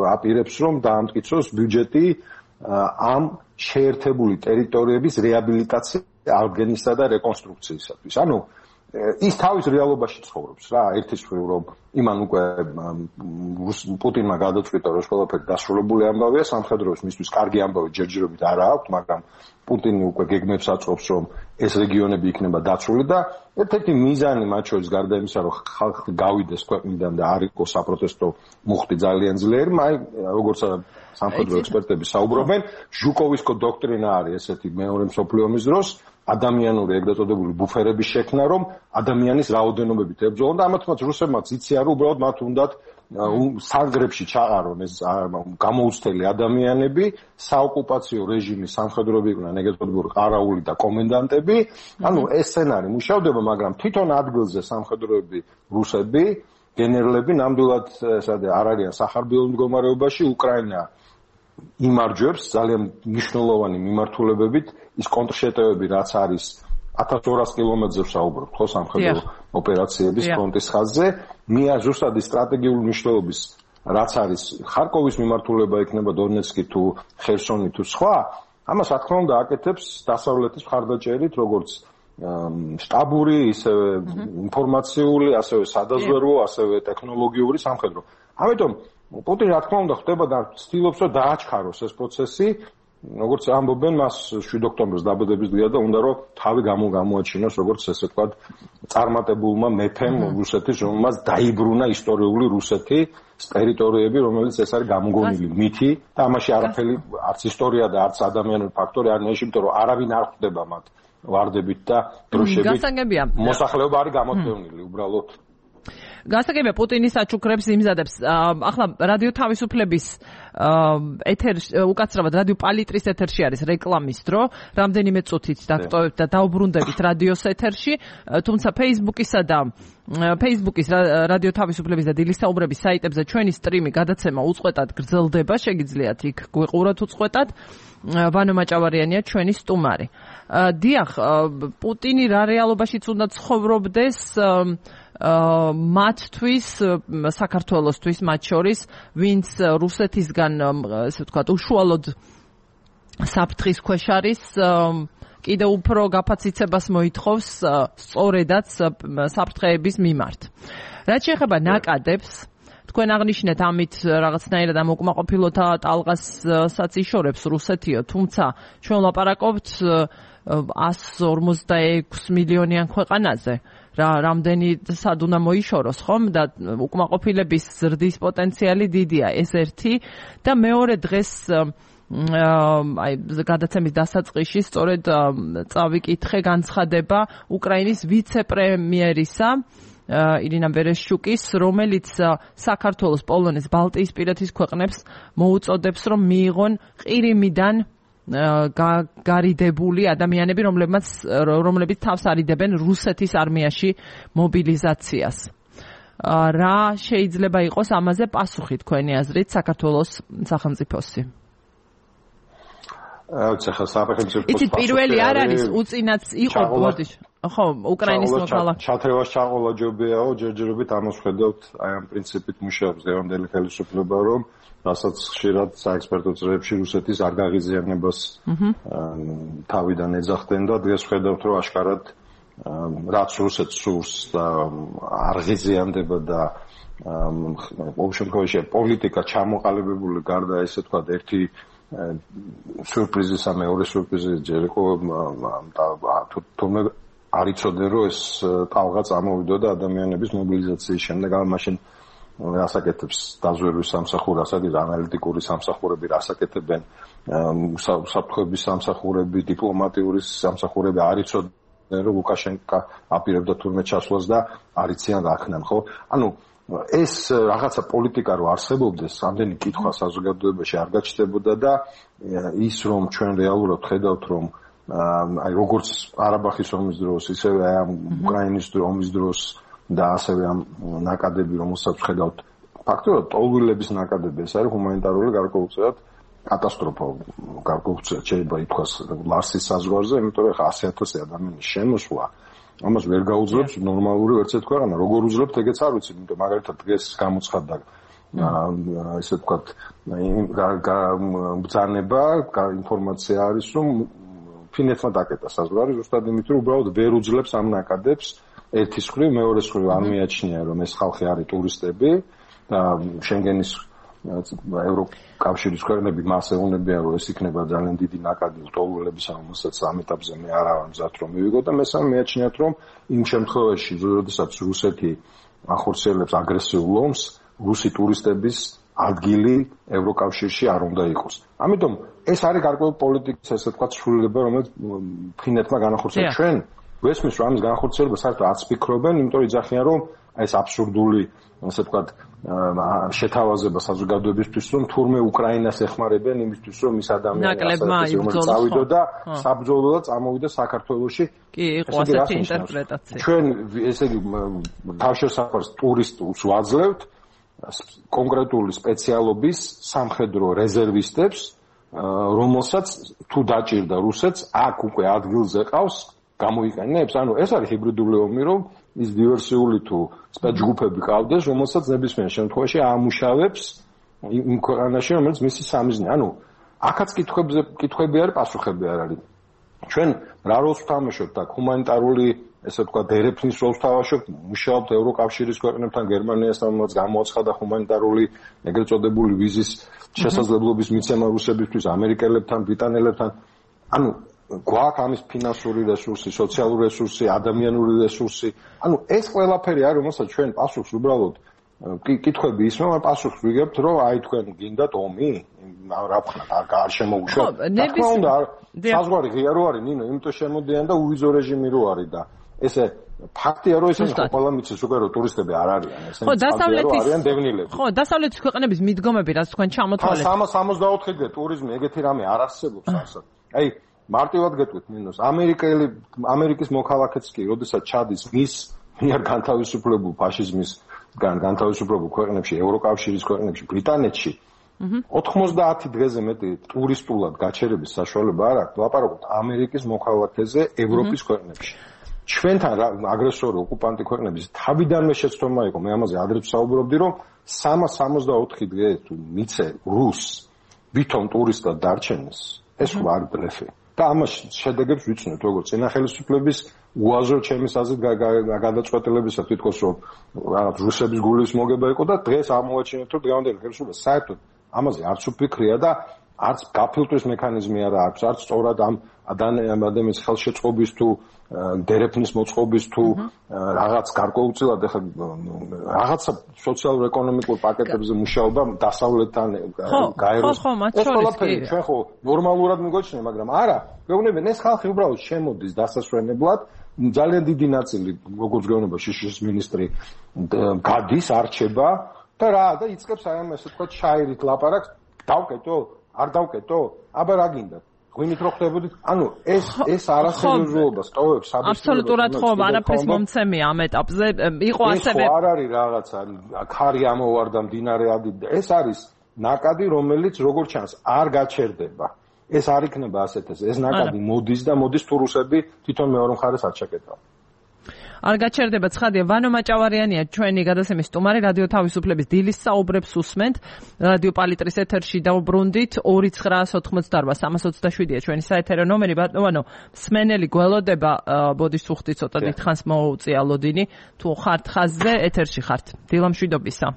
აპირებს, რომ დაამტკიცოს ბიუჯეტი ამ შეერთებული ტერიტორიების რეაბილიტაცია, აღდგენისა და რეკონსტრუქციისათვის. ანუ ის თავის რეალობაში ცხოვრობს რა, ერთის მხრივ რომ იმან უკვე პუტინმა გადაწყვიტა, რომ ყველაფერი დასრულებული ამბავია, სამხედროების მისთვის კარგი ამბავი ჯერჯერობით არ აქვს, მაგრამ პუტინი უკვე გეგმებს აწყობს, რომ ეს რეგიონები იქნება დაცული და ერთ-ერთი მიზანი მათ შორის გარდა იმისა, რომ ხალხი გავიდეს ქვეყნიდან და არ იყოს საპროტესტო მუხტი ძალიან ძლიერი, როგორც სამხედრო ექსპერტები საუბრობენ, ჟუკოვისკო დოქტრინა არის ესეთი მეორე მსოფლიო ომის დროს, ადამიანური ეგრეთ წოდებული ბუფერების შექმნა, რომ ადამიანის რაოდენობებით ებრძოლონ და ამათაც რუსებმაც იციან, რომ უბრალოდ მათ უნდათ სანგრებში ჩაყარონ ეს გამოუცდელი ადამიანები, საოკუპაციო რეჟიმის სამხედროები იყვნენ ეგრეთ წოდებული ყარაული და კომენდანტები, ანუ ეს სცენარი მუშავდება, მაგრამ თვითონ ადგილზე სამხედროები რუსები, გენერლები ნამდვილად არ არიან სახარბიელ მდგომარეობაში, უკრაინა იმარჯვებს ძალიან მნიშვნელოვანი მიმართულებებით, ის კონტრშეტევები რაც არის 1200 კილომეტრზე საუბრობ, ხო, სამხედრო ოპერაციების ფრონტის ხაზზე, ზუსტად სტრატეგიული მნიშვნელობის რაც არის ხარკოვის მიმართულება იქნება დონეცკი თუ ხერსონი თუ სხვა, ამას რა თქმა უნდა აკეთებს დასავლეთის მხარდაჭერით, როგორც შტაბური, ისევე ინფორმაციული, ასევე სადაზვერვო, ასევე ტექნოლოგიური სამხედრო. ამიტომ პუტინი რა თქმა უნდა ხდება და ცდილობს რომ დააჩქაროს ეს პროცესი, როგორც ამბობენ, მას 7 ოქტომბერს დაბადების დღეა და უნდა რომ თავი გამოაჩინოს, როგორც ესე ვთქვათ, წარმატებულმა მეფემ რუსეთის, რომელმაც დაიბრუნა ისტორიული რუსეთის ტერიტორიები, რომელიც ეს არის გამოგონილი მითი და ამაში არაფერი არც ისტორია და არც ადამიანური ფაქტორი არ ნიშნავს, იმიტომ რომ არავინ არ ხვდება მათ ვარდებით და დროშებით. მოსახლეობა არის გამოთქვეუნილი უბრალოდ. გასაგებია პუტინის აჩუქრებს იმზადებს. ახლა რადიო თავისუფლების უკაცრავად რადიო პალიტრის ეთერში არის რეკლამის დრო, რამდენიმე წუთით დაგტოვებთ და დაუბრუნდებით რადიოს ეთერში, თუმცა Facebook-ის რადიო თავისუფლების და დილის საუბრების საიტებზე ჩვენი სტრიმი გადაცემა უწყვეტად გრძელდება, შეგიძლიათ იქ გვიყუროთ უწყვეტად. ვანო მაჭავარიანია ჩვენი სტუმარი. დიახ, პუტინი რა რეალობაშიც უნდა ცხოვრობდეს მათთვის, საქართველოსთვის მათ შორის, ვინც რუსეთისგან, ესე ვთქვათ, უშუალოდ საფრთხის ქვეშ არის, კიდევ უფრო გაფაციცებას მოითხოვს სწორედაც საფრთხეების მიმართ. რაც შეეხება ნაკადებს, თქვენ აღნიშნეთ ამით რაღაცნაირად ამ უკმაყოფილოთა ტალღასაც იშორებს რუსეთიო, თუმცა ჩვენ ვლაპარაკობთ 156 მილიონიან ქვეყანაზე. რამდენი სად უნდა მოიშოროს, ხომ? და უკმაყოფილების ზრდის პოტენციალი დიდია, ეს ერთი და მეორე დღეს აი გადაცემის დასაწყისში სწორედ წავიკითხე განცხადება უკრაინის ვიცე-პრემიერისა ირინა ვერეშჩუკის, რომელიც საქართველოს, პოლონეთს, ბალტიისპირეთის ქვეყნებს მოუწოდებს, რომ მიიღონ ყირიმიდან გარიდებული ადამიანები, რომლებიც თავს არიდებენ რუსეთის არმიაში მობილიზაციას. რა შეიძლება იყოს ამაზე პასუხი თქვენი აზრით საქართველოს სახელმწიფოსი? იცით, პირველი არ არის, უწინაც იყო ბოდიშ. ხო, უკრაინის მოქალაქე. ჩათრევას ჩაყოლა ჯობიაო, ჯერჯერობით ამას ხედავთ, აი ამ პრინციპით მუშაობს დღევანდელი ხელისუფლება, რომ რასაც ხშირად საექსპერტო წრეებში რუსეთის არ გაღიზიანებას თავიდან ეძახდნენ და დღეს ხედავთ, რომ აშკარად რაც რუსეთს სურს და არ ღიზიანდება და ყოველ შემთხვევაში პოლიტიკა ჩამოყალიბებული გარდა ესე თქვა ერთი სურპრიზისა მეორე სურპრიზი ჯერ იყო თუმცა არ იცოდნენ რომ ეს ტალღა წამოვიდო და ადამიანების მობილიზაციის შემდეგ მაშინ რასაკეთებს დაზვერვის სამსახური, ასაკის ანალიტიკური სამსახურები რასაკეთებენ, საფრთხების სამსახურები, დიპლომატიური სამსახურები არ იცოდნენ რომ ლუკაშენკა აპირებდა თურმე ჩასვლას და არ იციან რა ხნან, ხო? ანუ ეს რაღაცა პოლიტიკა რო არსებობდეს, ამდენი კითხვა საზოგადოებაში არ გაჩნდებოდა და ის რომ ჩვენ რეალურად ხედავთ რომ აი როგორც ყარაბაღის ომის დროს, ისევე აი ამ უკრაინის ომის დროს და ასევე ამ ნაკადები რომელსაც ხედავთ ფაქტობრივად ტოლვილების ნაკადები ეს არის ჰუმანიტარული გარკვეულწილად კატასტროფა გარკვეულწილად შეიძლება ითქვას ლარსის საზღვარზე იმიტომ რომ 100,000 ადამიანის შემოსვლა ამას ვერ გაუძლებს ნორმალური ვერცეთ ქვეყანა როგორ უძლებთ ეგეც არ ვიცი იმიტომ მაგალითად დღეს გამოცხადდა ესე ვთქვათ ბრძანება ინფორმაცია არის რომ ფინეთმა დაკეტა საზღვარი ზუსტად იმით რომ უბრალოდ ვერ უძლებს ამ ნაკადებს ერთის მხრივ, მეორეს მხრივ არ მიაჩნია რომ ეს ხალხი არის ტურისტები და შენგენის ევროკავშირის ქვეყნები მას ეუბნებიან რომ ეს იქნება ძალიან დიდი ნაკადი ლტოლვილების რომელსაც ამ ეტაპზე მე არ ვარ მზად რომ მივიღო და მესამე მიაჩნიათ რომ იმ შემთხვევაში როდესაც რუსეთი ახორციელებს აგრესიულ ომს რუსი ტურისტების ადგილი ევროკავშირში არ უნდა იყოს. ამიტომ ეს არის გარკვეული პოლიტიკის ესე ვთქვათ სრულიება რომელიც ფინეთმა განახორციელა ჩვენ ვესმის რომ ამის განხორციელება საერთოდ არც ფიქრობენ, იმიტომ რომ იძახიან რომ აი ეს აბსურდული, ასე ვთქვათ, შეთავაზება საზოგადოებისთვის, რომ თურმე უკრაინას ეხმარებენ იმისთვის, რომ ის ადამიანები წავიდო და საბრძოლოდ წამოვიდა საქართველოში. კი, იყო ასეთი ინტერპრეტაცია. ჩვენ ესე იგი თავშესაფარს ტურისტებს ვაძლევთ კონკრეტული სპეციალობის სამხედრო რეზერვისტებს, რომელსაც თუ დაჭირდა რუსეთს, აქ უკვე ადგილზე ყავს გამოიყენებს, ანუ ეს არის ჰიბრიდული ომი, რომ ის დივერსიული თუ სპეცჯგუფები ყავდეს, რომელსაც ნებისმიერ შემთხვევაში აამუშავებს იმ ქვეყანაში, რომელიც მისი სამიზნე. ანუ აქაც კითხვები არის, პასუხები არ არის. ჩვენ რა როლს ვთამაშობთ აქ? ჰუმანიტარული, ესე ვთქვათ, დერეფნის როლს ვთამაშობთ, მუშაობთ ევროკავშირის ქვეყნებთან, გერმანიასთან, რომელიც გამოაცხადა ჰუმანიტარული, ეგრეთ წოდებული ვიზის შესაძლებლობის მიცემა რუსებისთვის, ამერიკელებთან, ბრიტანელებთან. ანუ გვაქვს ამის ფინანსური რესურსი, სოციალური რესურსი, ადამიანური რესურსი. ანუ ეს ყველაფერი არის, რომელსაც ჩვენ პასუხს უბრალოდ კითხვები ისმევა, პასუხს ვიგებთ, რომ აი თქვენ გინდათ ომი? რა ვქნათ, არ შემოუშვათ. თქმა უნდა, საზღვარი ღია რო არის, ნინო, იმიტომ შემოდიან და უვიზო რეჟიმი რო არის და ესე ფაქტია რომ ესენი ყველა მიცის უკვე რომ ტურისტები არ არიან, ესენი არიან დევნილები. ხო, დასავლეთის ქვეყნების მიდგომები, რაც თქვენ ჩამოთვალეთ. 364-დე ტურიზმი, ეგეთი რამე არ არსებობს ასად. აი მარტივად გეტყვით მინოს ამერიკის მოქალაქეც კი როდესაც ჩადის მის მიერ განთავისუფლებულ ფაშიზმის განთავისუფლებულ ქვეყნებში ევროკავშირის ქვეყნებში ბრიტანეთში 90 დღეზე მეტი ტურისტულად გაჩერების საშუალება არ აქვს ლაპარაკობთ ამერიკის მოქალაქეზე ევროპის ქვეყნებში ჩვენთან აგრესორი ოკუპანტი ქვეყნების თავიდანვე შეცდომა იყო მე ამაზე ადრეც საუბრობდი რომ 364 დღე თუ მიცე რუს ვითომ ტურისტად დარჩენს ეს ვარ ბლეფი და ამას შედეგებს ვიცნობთ როგორც წინა ხელისუფლების უაზრო ჩემის აზრით გადაწყვეტილებისა თვითონ რომ რაღაც რუსების გულის მოგება იყო და დღეს ამოვაჩინეთ რომ დღევანდელი ხელისუფლება საერთოდ ამაზე არც უფიქრია და არც გაფილტვის მექანიზმი არ აქვს, არც სწორად ამ ადამიანის ხელშეწყობის თუ დერეფნის მოწყობის თუ რაღაც გარკვეულწილად ახლა რაღაცა სოციალურ-ეკონომიკურ პაკეტებზე მუშაობა დასავლეთთან გაეროს ეს ყველაფერი ჩვენ ხო ნორმალურად მიგოჩნია, მაგრამ არა, გეუბნებიან ეს ხალხი უბრალოდ შემოდის დასასვენებლად, ძალიან დიდი ნაწილი, როგორც გეუბნება შიშის მინისტრი გადის, არჩება და და იწყებს აი ამ ესე ვთქვათ შაირით ლაპარაკს, დავკეტო, არ დავკეტო, აბა რა გინდა? ღვინით რო ხდებოდით, ანუ ეს არასერიოზულობას ტოვებს საბჭოთა. აბსოლუტურად ხო, არაფრის მომცემია ამ ეტაპზე. იყო ასევე არ არის რაღაცა, ქარი ამოვარდა მდინარე ადიდა. ეს არის ნაკადი, რომელიც როგორც ჩანს, არ გაჩერდება. ეს არ იქნება ასეთ ეს ნაკადი მოდის და მოდის თუ რუსები თვითონ მეორე მხარეს არ ჩაკეტავ. არ გაჩერდება ცხადია. ვანო მაჭავარიანია ჩვენი გადაცემის სტუმარი, რადიო თავისუფლების დილის საუბრებს უსმენთ. რადიო პალიტრის ეთერში დავბრუნდით 2988-327-ია ჩვენი საეთერო ნომერი. ბატონო, მსმენელი გველოდება, ბოდის უხდი ცოტა დიდხანს მოუწია ლოდინი. თუ ხართ ხაზზე, ეთერში ხართ. დილამშვიდობისა.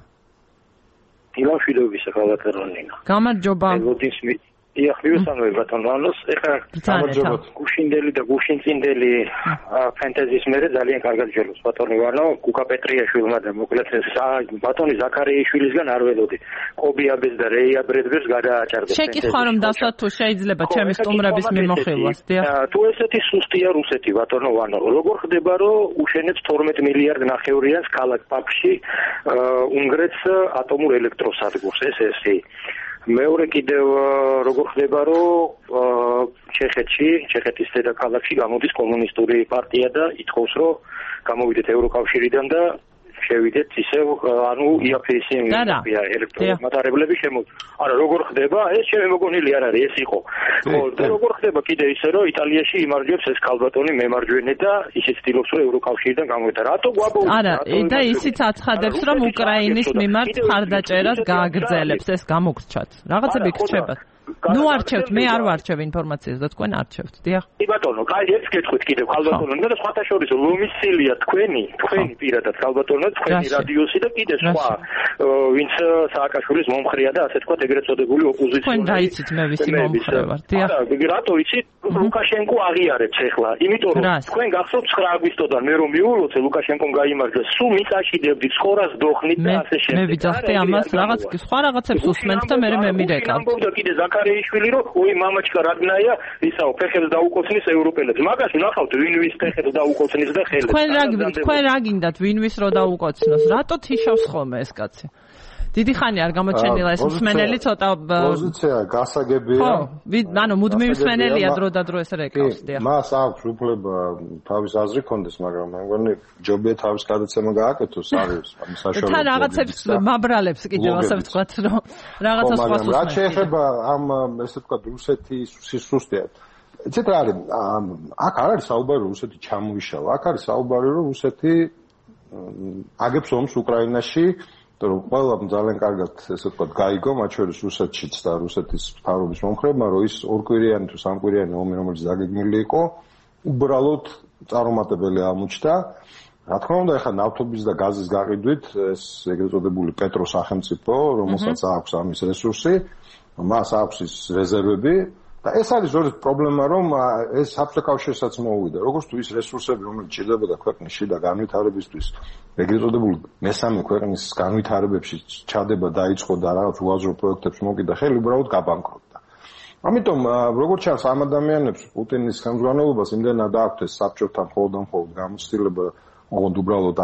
დილამშვიდობისა, ხალხარონინა. გამარჯობა. იახლიუსანოე ბატონოს, ეხლა გამარჯობათ. გუშინდელი და გუშინწინდელი ფენტეზის მერე ძალიან კარგად ჯელოს ბატონი ვარნო, გუკა პეტრიაშვილმა და მოკლედ ბატონი ზაქარიაშვილისგან არ ველოდი. კობიაბეს და რეია ბრედბერს გადააჭარბეს. შეკითხვა რომ დასვათ თუ შეიძლება ჩემი სტუმრების მიმოხილვას, დიახ. თუ ესეთი სუსტია რუსეთი ბატონო ვარნო, როგორ ხდება რომ უშენებს 12 მილიარდ ნახევრიანს ქალაქ პაფში უნგრეთს ატომურ ელექტროსადგურს, ესე მეორე კიდევ როგორ ხდება რომ ჩეხეთის დედაქალაქში გამოდის კომუნისტური პარტია და ითხოვს რომ გამოვიდეთ ევროკავშირიდან და შევიდეთ ისევ ანუ იაფეისი ელექტრომატარებლები არა როგორ ხდება ეს ჩემი მოგონილი არ არის ეს იყო ხო და როგორ ხდება კიდე ისე რომ იტალიაში იმარჯვებს ეს ქალბატონი მემარჯვენე და ისიც ცდილობს რომ ევროკავშირიდან გამოვიდა რატო გვაბოლოს არა და ისიც აცხადებს რომ უკრაინის მიმართ მხარდაჭერას გააგრძელებს ეს გამოგრჩათ რაღაცები გრჩებათ ნუ არჩევთ მე არ ვარჩევ ინფორმაციას და თქვენ არჩევთ დიახ ბატონო კაი ეს გეტყვით კიდევ ქალბატონო და სხვათა შორის ლომისილია თქვენი პირადად ქალბატონო თქვენი რადიოსი და კიდე სხვა ვინც სააკაშვილის მომხრეა და ასე თქვა ეგრეთ წოდებული ოპოზიციური თქვენ დაიცით მე ვისი მომხრე ვარ დიახ რატო იცით ლუკაშენკო აღიარებს ახლა იმიტომ რომ თქვენ გახსოვთ 9 აგვისტოდან მე რომ მიულოცე ლუკაშენკომ გაიმარჯვეს სულ მიწაშიდებდით ხორას დოხნით და ასე შემდეგ მე ვიძახდი ამას რაღაც სხვა რაღაცებს უსმენთ და მე მემირეკავ ზაქარიაშვილი რომ ой მამაჩკა რაგნაია ისაო ფეხებს დაუკოცნის ევროპელებს მაგას ნახავთ ვინ ვის ფეხებს დაუკოცნის და ხელებს თქვენ რა გინდათ ვინ ვის რო დაუკოცნოს რატო თიშავს ხოლმე ეს კაცი დიდი ხანი არ გამოჩენილა ეს მსმენელი ცოტა პოზიცია გასაგებია ხო ანუ მუდმივი მსმენელია დრო და დრო ეს რეკავს დიახ მას აქვს უფლება თავის აზრი კონდეს მაგრამ მე მგონი ჯობია თავის გადაცემა გააკეთოს არის საშუალო თან რაღაცებს მაბრალებს კიდევ ასე ვთქვათ რომ რაღაცა სხვა სუსტია რა შეეხება ამ ესე ვთქვათ რუსეთის სუსტია იცით რა არის აქ არ არის საუბარი რუსეთი ჩამოიშალა აქ არის საუბარი რომ რუსეთი აგებს ომს უკრაინაში რომ ყველა ძალიან კარგად ესე ვთქვათ გაიგო მათ შორის რუსეთშიც და რუსეთის მთავრობის მომხრეებმა რომ ის ორკვირიანი თუ სამკვირიანი ომი რომელიც დაგეგმილი იყო უბრალოდ წარუმატებელი აღმოჩნდა რა თქმა უნდა ეხლა ნავთობის და გაზის გაყიდვით ეს ეგრეთ წოდებული პეტრო სახელმწიფო რომელსაც აქვს ამის რესურსი მას აქვს ის რეზერვები და ეს არის ზოგადად პრობლემა რომ ეს საბჭოთა კავშირსაც მოუვიდა როგორც თუ ის რესურსები რომელიც ჭირდებოდა ქვეყნის შიდა განვითარებისთვის ეგრეთ წოდებული მესამე ქვეყნის განვითარებებში ჩადება დაიწყო და რაღაც უაზრო პროექტებს მოკიდა ხელი უბრალოდ გაბანკროტდა ამიტომ როგორც ჩანს ამ ადამიანებს პუტინის ხელმძღვანელობას იმდენად აქვს ეს საბჭოთან მხოლოდ გამოცდილება ოღონდ უბრალოდ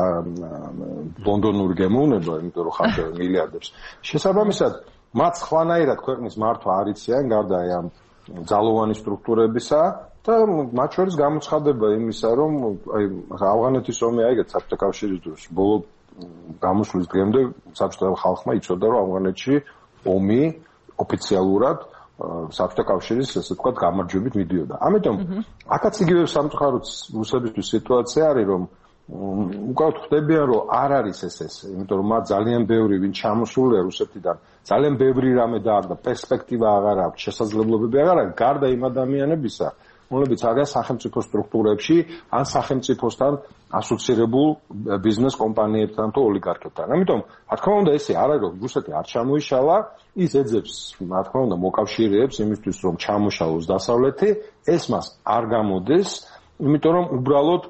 ლონდონური გემოვნება იმიტომ რომ ხარჯავენ მილიარდებს შესაბამისად მათ სხვანაირად ქვეყნის მართვა არ იციან გარდა ამ ძალოვანი სტრუქტურებისა და მათ შორის გამოცხადება იმისა, რომ აი ავღანეთის ომი აიგეთ საბჭოთა კავშირის დროს ბოლო გამოსვლის დღემდე საბჭოთა ხალხმა იცოდა, რომ ავღანეთში ომი ოფიციალურად საბჭოთა კავშირის ესე ვთქვათ გამარჯვებით მიდიოდა. ამიტომ აქაც იგივე სამწუხაროდ რუსებისთვის სიტუაცია არის, რომ უკავთ ხდებიან, რომ არ არის ეს, იმიტომ რომ მათ ძალიან ბევრი ვინ ჩამოსულია რუსეთიდან, ძალიან ბევრი რამე და პერსპექტივა აღარ აქვს, შესაძლებლობები აღარ აქვს, გარდა იმ ადამიანებისა, რომლებიც არიან სახელმწიფო სტრუქტურებში ან სახელმწიფოსთან ასოცირებულ ბიზნეს კომპანიებთან თუ ოლიგარქებთან. ამიტომ, რა თქმა უნდა, ესე არ არის, რომ რუსეთი არ ჩამოიშალა, ის ეძებს, რა თქმა უნდა, მოკავშირეებს იმისთვის, რომ ჩამოშალოს დასავლეთი, ეს მას არ გამოდეს, იმიტომ რომ უბრალოდ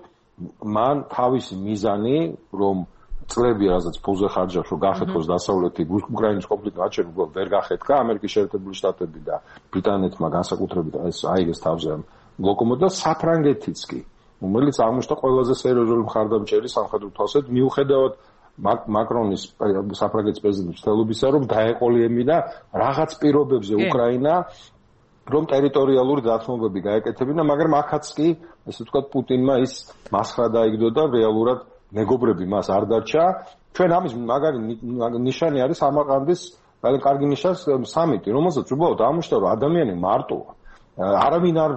მან თავისი მიზანი, რომ წლები რასაც ფულზე ხარჯავს, რომ გახეთქოს დასავლეთი უკრაინის კონფლიქტი, აჩერ უბრალოდ ვერ გახეთქა, ამერიკის შეერთებული შტატები და ბრიტანეთმა განსაკუთრებით ეს აიგეს თავზე ლოკომოტივი და საფრანგეთიც კი, რომელიც აღმოჩნდა ყველაზე სერიოზული მხარდამჭერი სამხედრო თვალსაზრისით, მიუხედავად მაკრონის საფრანგეთის პრეზიდენტის ცდილობისა, რომ დაეყოლიებინა რაღაც პირობებზე უკრაინა, რომ ტერიტორიალური დათმობები გაეკეთებინა, მაგრამ აქაც კი, ესე ვთქვათ, პუტინმა ის მასხრა დაიგდო და რეალურად მეგობრები მას არ დარჩა. ჩვენ ამის მაგარი ნიშანი არის სამარყანდის ძალიან კარგი ნიშანი სამიტი, რომელსაც უბრალოდ აღმოჩნდა, რომ ადამიანი მარტოა. არავინ არ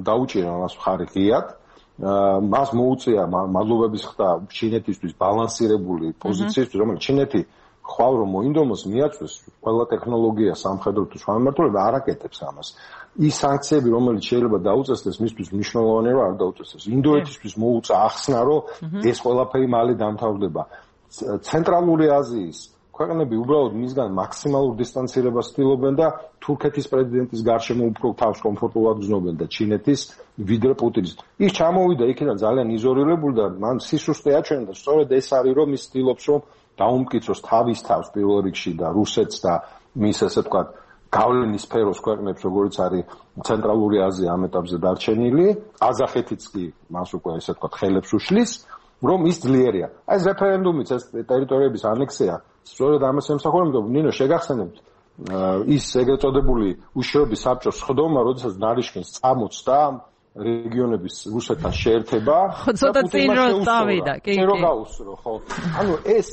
დაუჭირა მას მხარი ღიად. მას მოუწია მადლობების ხდა ჩინეთისთვის ბალანსირებული პოზიციისთვის, რომელიც ჩინეთი ხვალ რომ მოინდომოს მიაწვეს ყველა ტექნოლოგია სამხედრო თუ სხვა მიმართულება არ აკეთებს ამას. ის სანქციები, რომელიც შეიძლება დაუწესდეს, მისთვის მნიშვნელოვანია, რომ არ დაუწესდეს. ინდოეთისთვის მოუწა ახსნა, რომ ეს ყველაფერი მალე დამთავრდება. ცენტრალური აზიის ქვეყნები უბრალოდ მისგან მაქსიმალურ დისტანცირებას ცდილობენ და თურქეთის პრეზიდენტის გარშემო უფრო თავს კომფორტულად გრძნობენ და ჩინეთის ვიდრე პუტინის. ის ჩამოვიდა იქიდან ძალიან იზოლირებული და მან სისუსტე აჩვენა და სწორედ ეს არის, რომ ის ცდილობს, რომ დაუმტკიცოს თავის თავს პირველ რიგში და რუსეთს და მის ესე ვთქვათ გავლენის სფეროს ქვეყნებს, როგორც არის ცენტრალური აზია ამ ეტაპზე დარჩენილი, ყაზახეთიც კი მას უკვე ესე ვთქვათ ხელებს უშლის, რომ ის ძლიერია. აი ეს რეფერენდუმიც, ეს ტერიტორიების ანექსია, სწორედ ამას ემსახურებოდა. ნინო, შეგახსენებთ ის ეგრეთ წოდებული უშიშროების საბჭოს სხდომა, როდესაც ნარიშკინს წამოწდა რეგიონების რუსეთთან შეერთება ცოტა წინ რო წავიდა, კი. რო გაუსრო, ხო. ანუ ეს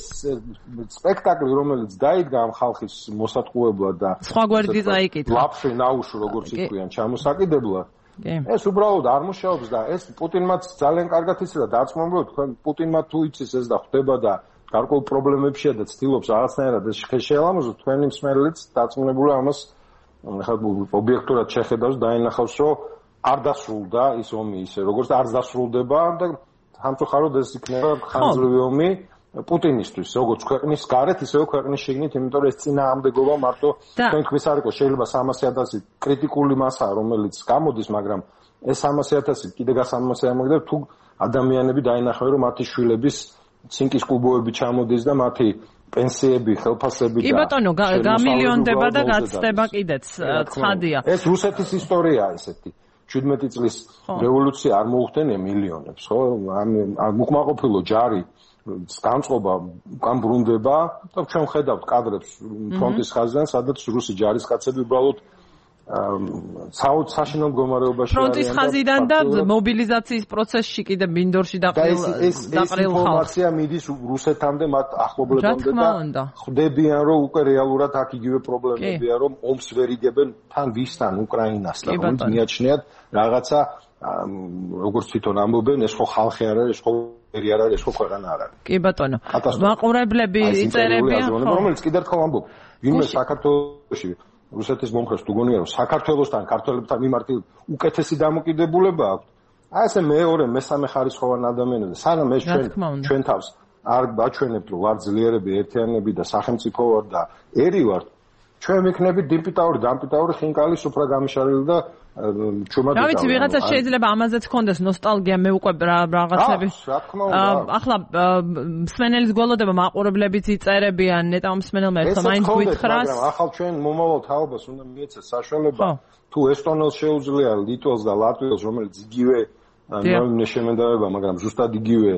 სპექტაკლი, რომელიც დაიდგა ამ ხალხის მოსატყუებლად და სხვა გვერდით აიკითხა. ლაფშე ნაუშ, როგორც იქვიან, ჩამოსაკიდებლად. ეს უბრალოდ არ მუშაობს და ეს პუტინმაც ძალიან კარგად იცოდა დარწმუნებული, თქვენ პუტინმა თუ იცის ეს და ხვდება და გარკვეულ პრობლემებშია და ცდილობს რაღაცნაირად ეს შეელამოზოს, თქვენი მსმენელიც დარწმუნებული ამას ხა ობიექტურად შეხედავს და დაინახავს, რომ არ დასრულდა ის ომი ისე, როგორც არ დასრულდება და სამწუხაროდ ეს იქნება ხანძრივი ომი პუტინისთვის, როგორც ქვეყნის გარეთ, ისევე ქვეყნის შიგნით, იმიტომ რომ ეს წინააღმდეგობა მარტო თქვენ თქვის არ იყოს, შეიძლება 300,000 კრიტიკული მასაა, რომელიც გამოდის, მაგრამ ეს 300,000 კიდე გასამოსე ამოგდა თუ ადამიანები დაინახავენ, რომ მათი შვილების ცინკის კუბოები ჩამოდის და მათი პენსიები, ხელფასები და კი ბატონო, გამილიონდება და გაცდება კიდეც, ცხადია. ეს რუსეთის ისტორიაა ესეთი. 17 წლის რევოლუცია არ მოუხდენია მილიონებს, ხო? ამ უკმაყოფილო ჯარი განწყობა უკან ბრუნდება და ჩვენ ხედავთ კადრებს ფრონტის ხაზიდან, სადაც რუსი ჯარისკაცები უბრალოდ საშინელ მდგომარეობაში არიან. ფრონტის ხაზიდან და მობილიზაციის პროცესში კიდე მინდორში დაყრილ ხალხს. ეს ინფორმაცია მიდის რუსეთამდე, მათ ახლობლებამდე და ხვდებიან, რომ უკვე რეალურად აქ იგივე პრობლემებია, რომ ომს ვერ იგებენ თან ვისთან, უკრაინასთან, რომ მიაჩნიათ რაღაცა, როგორც თვითონ ამბობენ, ეს ხო ხალხი არ არის, ეს ხო ერი არ არის, ეს ხო ქვეყანა არ არის. კი ბატონო. მაყურებლები იწერებიან, რომელიც კიდევ ერთხელ ამბობ, ვინმე საქართველოში რუსეთის მომხრეს თუ გონია, რომ საქართველოსთან, ქართველებთან მიმართი უკეთესი დამოკიდებულება აქვს. აი ესე მეორე, მესამე ხარისხოვანი ადამიანები, სანამ ეს ჩვენ თავს არ აჩვენებთ, რომ ვარ ძლიერები, ერთიანები და სახელმწიფო ვარ და ერი ვარ, ჩვენ ვიქნებით დიმპიტაური, დამპიტაური ხინკალი, სუფრა გამიშარილი და ჩუმად. რა ვიცი, ვიღაცა შეიძლება ამაზეც ქონდეს ნოსტალგია, მე უკვე რაღაცები. რა თქმა უნდა. ახლა მსმენელის გველოდება მაყურებლებიც იწერებიან, ნეტავ მსმენელმა ეხლა მაინც გითხრას. მაგრამ ახალ ჩვენ მომავალ თაობას უნდა მიეცეს საშუალება, თუ ესტონელს შეუძლია ლიტველს და ლატვილს, რომელიც იგივე ნორმალურ შემენდავება, მაგრამ ზუსტად იგივე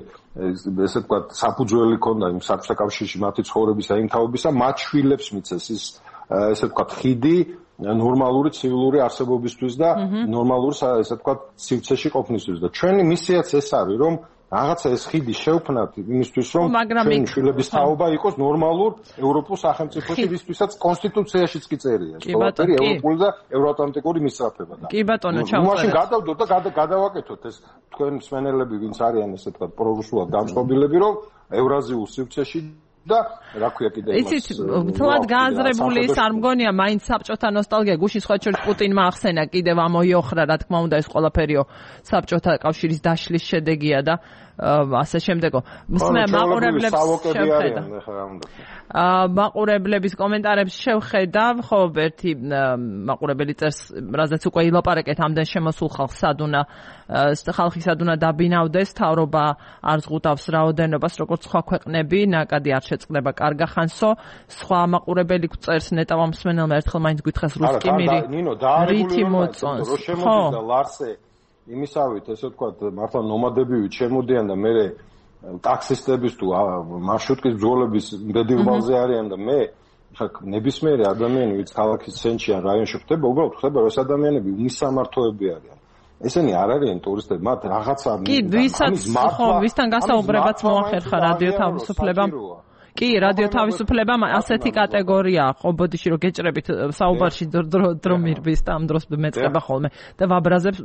ესე ვთქვათ, საფუძველი ქონდა იმ საბჭოთა კავშირში მათი ცხოვრებისა, იმ თაობისა, მათ შვილებს მიცეს ის ესე ვთქვათ, ხიდი ნორმალური ცივილური არსებობისთვის და ნორმალური ესე ვთქვათ, სივრცეში ყოფნისთვის და ჩვენი მისიაც ეს არის, რომ რაღაცა ეს ხიდი შევქმნათ იმისთვის, რომ ჩვენი შვილების თაობა იყოს ნორმალურ ევროპულ სახელმწიფოში, ვისთვისაც კონსტიტუციაშიც კი წერია. ყველაფერი ევროპული და ევროატლანტიკური მისწრაფება და. კი ბატონო, ჩავწერეთ. მაშინ გადავდოთ და გადავაკეთოთ ეს თქვენ მსმენელები, ვინც არიან ესე ვთქვათ, პრორუსულად დამწყობილები, რომ ევრაზიულ სივრცეში და რა ქვია კიდე იცით, თლად გააზრებული ის არ მგონია მაინც საბჭოთა ნოსტალგია გუშინ სხვა შორის პუტინმა ახსენა კიდევ ამოიოხრა რა თქმა უნდა ეს ყველაფერიო საბჭოთა კავშირის დაშლის შედეგია და ასე შემდეგო. მაყურებლებს შევხედა. მაყურებლების კომენტარებს შევხედავ, ხო, ერთი მაყურებელი წერს, რაზეც უკვე ილაპარაკეთ ამდენ შემოსულ ხალხს ხალხი სადუნა დაბინავდეს, თავრობა არ ზღუდავს რაოდენობას, როგორც სხვა ქვეყნები, ნაკადი არ შეწყდება კარგა ხანსო. სხვა მაყურებელი წერს ნეტავა მსმენელმა ერთხელ მაინც გითხრას რუსკი მირი. ნინო, რითი მოწონს. რო შემოდიდა ლარსე იმისავით, ესე ვთქვათ, მართლა ნომადებივით შემოდიან და მე ტაქსისტების თუ მარშრუტკის ბრძოლების მდედილბალზე არიან და მე ხა ნებისმიერი ადამიანი, ვინც ქალაქის ცენტრში ან რაიონში ხდება, უბრალოდ ხდება, რომ ეს ადამიანები უმისამართოები არიან. ესენი არ არიან ტურისტები, მათ რაღაცა კი, ვისაც ხო, ვისთან გასაუბრებაც მოახერხა რადიო თავისუფლებამ. კი, რადიო თავისუფლებამ ასეთი კატეგორია ხო, ბოდიში რომ გეჭრებით საუბარში დრო მირბის და ამ დროს მეწყება ხოლმე და ვაბრაზებს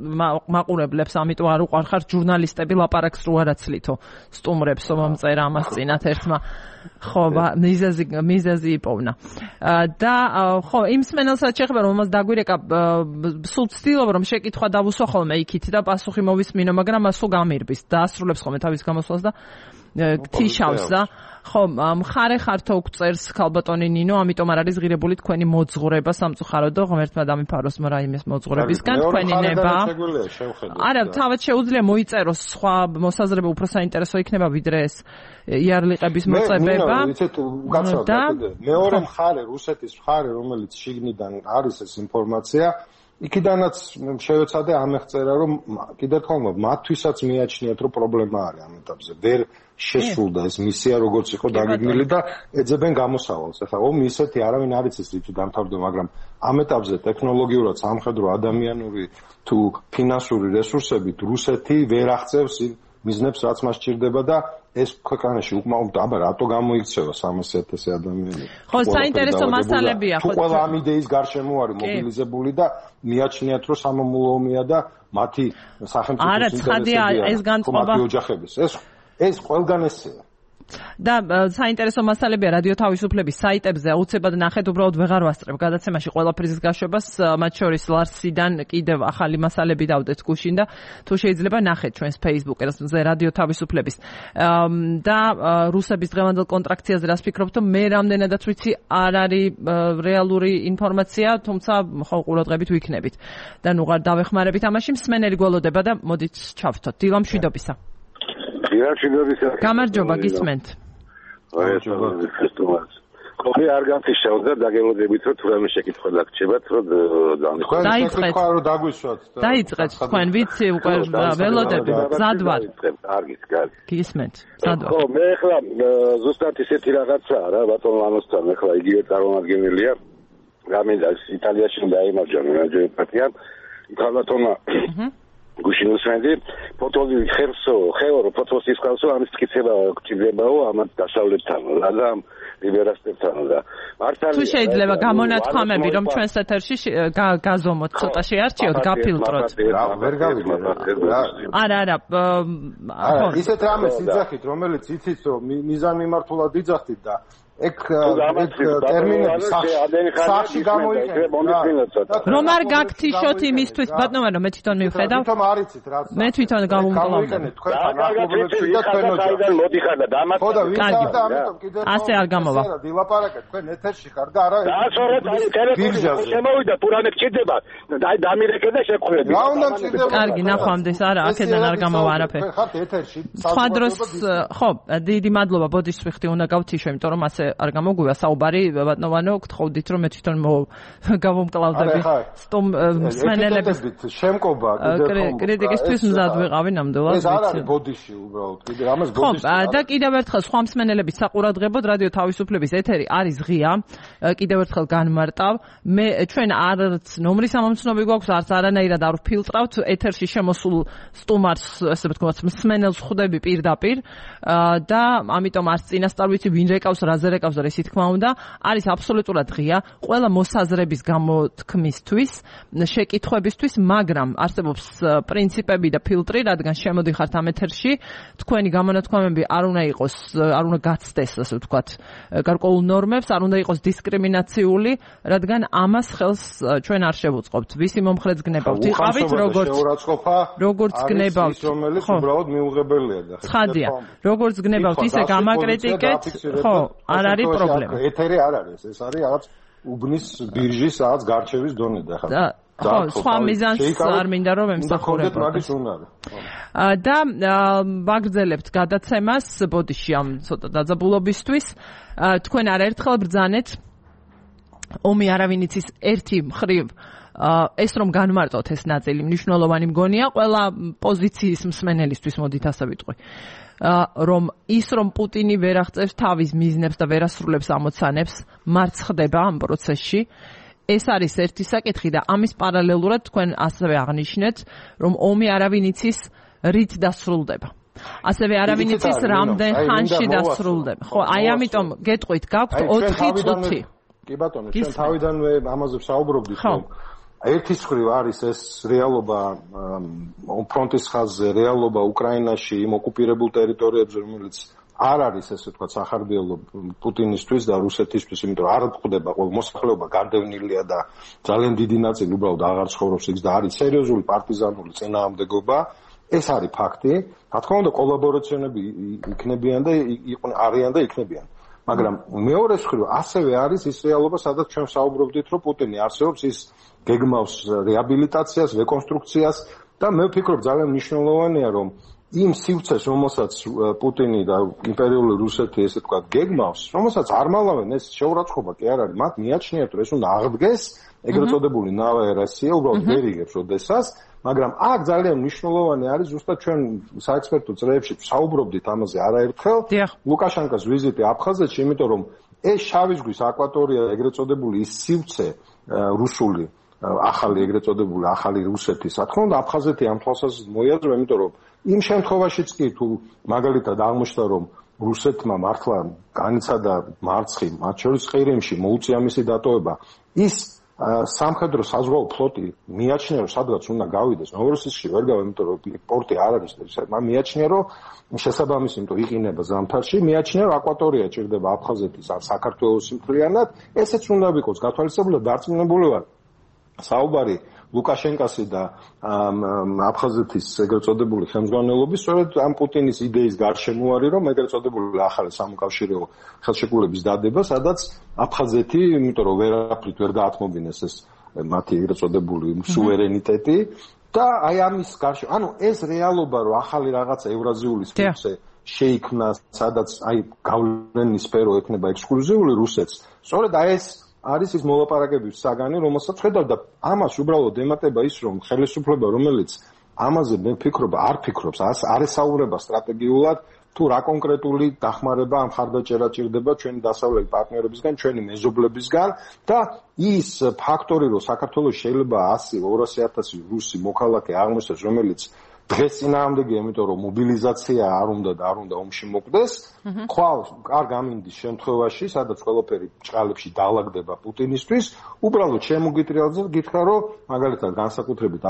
მაყურებლებს, ამიტომ არ უყარხარ ჟურნალისტები ლაპარაკს რო არაცლითო სტუმრებს მომწერა ამას წინათ ერთმა ხო, მიზეზი იპოვნა. და ხო, იმ მსმენელსაც შეხება რომ მას დაგვირეკა სულ ცდილობ რომ შეკითხვა დავუსვა ხოლმე იქით და პასუხი მოვისმინო, მაგრამ მას სულ გამირბის და ასრულებს ხოლმე თავის გამოსვლას და გთიშავს და ხო, მხარე ხართო უწერს ქალბატონი ნინო, ამიტომ არ არის ღირებული თქვენი მოძღვრება სამწუხაროდ და ღმერთმა დამიფაროს რაიმეს მოძღვრებისგან თქვენი ნება. არა, თავად შეუძლია მოიწეროს სხვა მოსაზრება უფრო საინტერესო იქნება ვიდრე ეს იარლიყების მოწებება. და მეორე მხარე, რუსეთის მხარე, რომელიც შიგნიდან არის ეს ინფორმაცია, იქიდანაც შევეცადე ამեղწერა, რომ კიდე თქმა მათთვისაც მიაჩნიათ, რომ პრობლემა არის ამ ეტაპზე. ვერ შესრულდა ეს მისია, როგორც იყო დაგეგმილი და ეძებენ გამოსავალს. ახლა ომი ისეთი არავინ არ იცის რითი დამთავრდება, მაგრამ ამ ეტაპზე ტექნოლოგიურად, სამხედრო, ადამიანური თუ ფინანსური რესურსებით რუსეთი ვერ აღწევს მიზნებს, რაც მას სჭირდება და ეს ქვეყანაში უკმაყოფილება, აბა რატო გამოიქცევა 300,000 ადამიანი? ხო, საინტერესო მასალებია, ხო. ყველა ამ იდეის გარშემო არის მობილიზებული და მიაჩნიათ, რომ სამამულო ომია და მათი სახელმწიფოს ინტერესებია. ეს განწყობა ოჯახების. ეს ყველგან ესეა. და საინტერესო მასალებია რადიო თავისუფლების საიტებზე, აუცილებლად ნახეთ, უბრალოდ ვეღარ ვასწრებ გადაცემაში ყველაფრის გაშვებას, მათ შორის ლარსიდან კიდევ ახალი მასალები დავდეთ გუშინ და თუ შეიძლება ნახეთ ჩვენს Facebook-ზე რადიო თავისუფლების. და რუსების დღევანდელ კონტრაქციაზე რას ფიქრობთ, მე რამდენადაც ვიცი არ არის რეალური ინფორმაცია, თუმცა ხო ყურადღებით ვიქნებით. და ნუ დავეხმარებით ამაში, მსმენელი გველოდება და მოდით ჩავთოთ. დილა მშვიდობისა. გამარჯობა, გისმენთ. ხოხი არ განთიშავთ და დაგელოდებით, რომ თუ რამე შეკითხვა დაგჭებათ, რომ დაიწყეთ. დაიწყეთ თქვენ, ვიცი, უკვე ველოდები, მზად ვარ. კარგი. გისმენთ, მზად ვარ. ხო, მე ახლა ზუსტად ისეთი რაღაცაა რა, ბატონ ლანოსთან ახლა იგივე წარმომადგენელია. გამინდა იტალიაში დაიმარჯვა მეჯერპატიან. ქალბატონმა გუშინ უსმენდი ფოტოები ხეორო ფოტოსის ხალხო ამის წკიცება გჭირდებაო ამათ დასავლეთთან და ლიბერასტებთან და მართალია თუ შეიძლება გამონათქვამები რომ ჩვენს ეთერში გაზომოთ ცოტა შეარჩიოთ გაფილტროთ ვერ გავიგე არა ისეთ რამეს იძახით რომელიც იცით რომ მიზანმიმართულად იძახით და ეგ ტერმინები სახში გამოიყენეთ რომ არ გაგთიშოთ იმისთვის ბატონო რომ მე თვითონ მივხედავ თვითონ არიცით რაც მე თვითონ გამომკლავდა თქვენ ახლობლებში და თქვენ ოჯახში მოდიხარ და დამატებით ხო და ვიცით და ამიტომ კიდევ ასე არ გამოვა დილაპარაკეთ თქვენ ეთერში ხარ და არა დაასვარეთ ტელეფონი შემოვიდა თუ რამე გჭირდება აი დამირეკე და შეგხვიეთ რა უნდა მჭირდება კარგი ნახვამდეს არა აქედან არ გამოვა არაფერი თქვენ ხართ ეთერში სხვა დროს ხო დიდი მადლობა ბოდიშს ვიხდი უნდა გავთიშო იმიტომ რომ ასე არ გამოგვივა საუბარი ბატონო გთხოვდით რომ მე თვითონ გავომკლავდები სტომ მსმენელების შემკობა კრიტიკისთვის მზად ვიყავი ნამდვილად ეს არ არის ბოდიში უბრალოდ კიდე ამას ბოდიში ხო და კიდევ ერთხელ სხვა მსმენელების საყურადღებოდ რადიო თავისუფლების ეთერი არის ღია კიდევ ერთხელ განმარტავ მე ჩვენ არც ნომრის ამომცნობი გვაქვს არც არანაირად არ ვფილტრავთ ეთერში შემოსულ სტუმარს ესე ვთქვათ მსმენელს ხვდები პირდაპირ და ამიტომ არც წინასწარ ვიცი ვინ რეკავს რაზე აკრიტიკავს და ისე თქმა უნდა, არის აბსოლუტურად ღია ყველა მოსაზრების გამოთქმისთვის, შეკითხვებისთვის, მაგრამ არსებობს პრინციპები და ფილტრი, რადგან შემოდიხართ ამ ეთერში, თქვენი გამონათქვამები არ უნდა გაცდეს, ასე ვთქვათ, გარკვეულ ნორმებს, არ უნდა იყოს დისკრიმინაციული, რადგან ამას ხელს ჩვენ არ შევუწყობთ. ვისი მომხრეც გნებავთ, იყავით როგორც გნებავთ, რომელიც უბრალოდ მიუღებელია და ცხადია, როგორც გნებავთ, ისე გამაკრიტიკეთ, ხო, არ არის პრობლემა. ეთერი არ არის, ეს არის რაღაც უბნის ბირჟის რაღაც გარჩევის დონე და ხა. ხო, სხვა მიზანს არ მინდა რომ ემსახურებოდ. და ვაგრძელებთ გადაცემას ბოდიში ამ ცოტა დაძაბულობისთვის. თქვენ არაერთხელ ბრძანეთ ომი არავინ იცის ერთი მხრივ ეს რომ განმარტოთ ეს ნაწილი მნიშვნელოვანი მგონია ყველა პოზიციის მსმენელისთვის მოდით ასე ვიტყვი. რომ პუტინი ვერ აღწევს თავის მიზნებს და ვერ ასრულებს ამოცანებს, მარც ხდება ამ პროცესში. ეს არის ერთი საკითხი და ამის პარალელურად თქვენ ასევე აღნიშნეთ, რომ ომი არავინ იცის რით დასრულდება. ასევე არავინ იცის რამდენ ხანში დასრულდება. ხო, აი ამიტომ გეტყვით, გაქვთ 4 წუთი. კი ბატონო, ჩვენ თავიდანვე ამაზე ვსაუბრობდით, რომ ერთის მხრივ არის ეს რეალობა ფრონტის ხაზზე, რეალობა უკრაინაში, იმ ოკუპირებულ ტერიტორიებზე, რომელიც არ არის ესე ვთქვათ სახარბიელო პუტინისთვის და რუსეთისთვის, იმიტომ რომ არ გვხვდება ყოველ მოსახლეობა გარდევნილია და ძალიან დიდი ნაწილი უბრალოდ აღარ ცხოვრობს იქ და არის სერიოზული პარტიზანული წინააღმდეგობა. ეს არის ფაქტი. რა თქმა უნდა, კოლაბორაციონები იქნებიან და არიან და იქნებიან. მაგრამ მეორე მხრივ ასევე არის ის რეალობა, სადაც ჩვენ საუბრობდით, რომ პუტინი არსებობს, ის გეგმავს რეაბილიტაციას, რეკონსტრუქციას და მე ვფიქრობ ძალიან მნიშვნელოვანია, რომ იმ სივრცეს, რომელსაც პუტინი და იმპერიული რუსეთი ესე ვთქვათ გეგმავს, რომელსაც არ მალავენ, ეს შეურაცხყოფა კი არ არის, მათ მიაჩნიათ, რომ ეს უნდა აღდგეს, ეგრეთ წოდებული ნავა ერასია, უბრალოდ ვერ იგებს ოდესას, მაგრამ აქ ძალიან მნიშვნელოვანი არის ზუსტად ჩვენ საექსპერტო წრეებში საუბრობდით ამაზე არაერთხელ, ლუკაშენკოს ვიზიტი აფხაზეთში, იმიტომ რომ ეს შავი ზღვის აკვატორია, ეგრეთ წოდებული ის სივრცე რუსული ახალი ეგრეთ წოდებული ახალი რუსეთის, რა თქმა უნდა, აფხაზეთი ამ თვალსაზრისით მოიაზრება, იმიტომ რომ იმ შემთხვევაშიც კი თუ მაგალითად აღმოჩნდა, რომ რუსეთმა მართლა განიცადა მარცხი, მათ შორის ყირიმში მოუწია მისი დატოვება, ის სამხედრო საზღვაო ფლოტი მიაჩნია, რომ სადღაც უნდა გავიდეს. ნოვოროსიისკში ვერ გავა, იმიტომ რომ პორტი არ არის. მიაჩნია, რომ შესაბამისი, იმიტომ იყინება ზამთარში, მიაჩნია, რომ აკვატორია ჭირდება აფხაზეთის ან საქართველოს მთლიანად. ესეც უნდა ვიყოს გათვალისწინებული და დარწმუნებული ვარ. საუბარი ლუკაშენკასი და აფხაზეთის ეგრეთ წოდებული ხელმძღვანელობის სწორედ ამ პუტინის იდეის გარშემო არის, რომ ეგრეთ წოდებული ახალი სამოქალაქო ხელშეკრულების დადება, სადაც აფხაზეთი, იმიტომ რომ ვერაფრით ვერ გაათმობინეს ეს მათი ეგრეთ წოდებული სუვერენიტეტი და აი ამის გარშემო, ანუ ეს რეალობა, რომ ახალი რაღაცა ევრაზიული სფერო შეიქმნა, სადაც აი გავლენის სფერო ექნება ექსკლუზიული რუსეთს, სწორედ აი ეს არის ის მოლაპარაკების საგანი, რომელსაც ხედავ და ამას უბრალოდ ემატება ის, რომ ხელისუფლება, რომელიც ამაზე მე ვფიქრობ, არ ფიქრობს, არ ესაუბრება სტრატეგიულად, თუ რა კონკრეტული დახმარება ამ ხარდაჭერა ჭირდება ჩვენი დასავლელი პარტნიორებისგან, ჩვენი მეზობლებისგან და ის ფაქტორი, რომ საქართველოს შეიძლება 100-200,000 რუსი მოქალაქე აღმოჩნდეს, რომელიც დღეს წინააღმდეგია, იმიტომ რომ მობილიზაცია არ უნდა და არ უნდა ომში მოკვდეს. ხვალ არ გამინდის შემთხვევაში, სადაც ყველაფერი ჭყალებში დაალაგდება პუტინისთვის, უბრალოდ შემოგიტრიალზე გითხრა, რომ მაგალითად განსაკუთრებით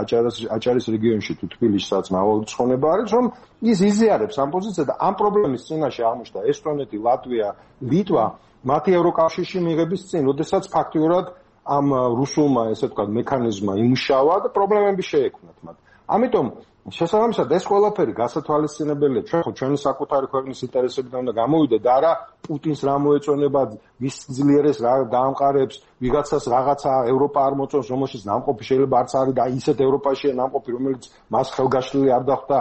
აჭარის რეგიონში თუ თბილისსაც მრავალი ცხონება არის, რომ ის იზიარებს ამ პოზიციას და ამ პრობლემის წინაშე აღმოჩნდა ესტონეთი, ლატვია, ლიტვა, მათი ევროკავშირში მიღების წინ, როდესაც ფაქტიურად ამ რუსულმა, ესე ვთქვათ, მექანიზმმა იმუშავა და პრობლემები შეექმნათ მათ. ამიტომ შესაბამისად ეს ყველაფერი გასათვალისწინებელია, ჩვენ ხო ჩვენი საკუთარი ქვეყნის ინტერესებიდან უნდა გამოვიდეთ და არა პუტინს რა მოეწონება, ვის ძლიერეს რა დაამყარებს, ვიღაცას რაღაცა ევროპა არ მოწონს, რომელშიც ნამყოფი შეიძლება არც არის და ისეთ ევროპაშია ნამყოფი, რომელიც მას ხელგაშლილი არ დახვდა.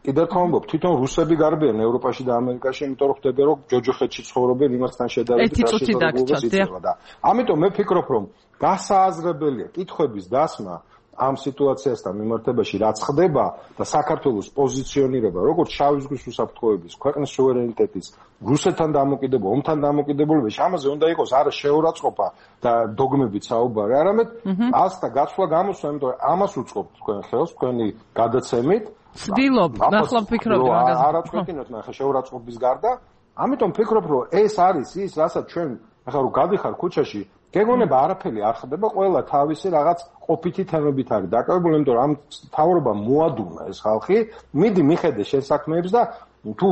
კიდევ ხომბობ, თვითონ რუსები გარბიან ევროპაში და ამერიკაში, იმიტომ რომ ხდება, რომ ჯოჯოხეთში ცხოვრობენ იმასთან შედარებით და ამიტომ მე ვფიქრობ, რომ გასააზრებელია კითხვების დასმა ამ სიტუაციასთან მიმართებაში რაც ხდება და საქართველოს პოზიციონირება როგორც შავი ზღვის უსაფრთხოების, ქვეყნის სუვერენიტეტის, რუსეთთან დამოკიდებულება, ომთან დამოკიდებულებაში, ამაზე უნდა იყოს არა შეურაცხყოფა და დოგმებით საუბარი, არამედ ასთა გაცვლა გამოსვლა, იმიტომ რომ ამას უწყობთ თქვენ ხელს, თქვენი გადაცემით. ვცდილობ, ნახლა ვფიქრობდი მაგაზე. არა წვეთინოთ ნახე შეურაცხყოფის გარდა ამიტომ ვფიქრობ, რომ ეს არის ის, რასაც ჩვენ ახლა რომ გადიხარ ქუჩაში, გეგონება არაფერი არ ხდება, ყველა თავისი რაღაც ყოფითი თემებით არის დაკავებული, იმიტომ რომ ამ თავრობამ მოადუნა ეს ხალხი, მიდი მიხედე შენ საქმეებს და თუ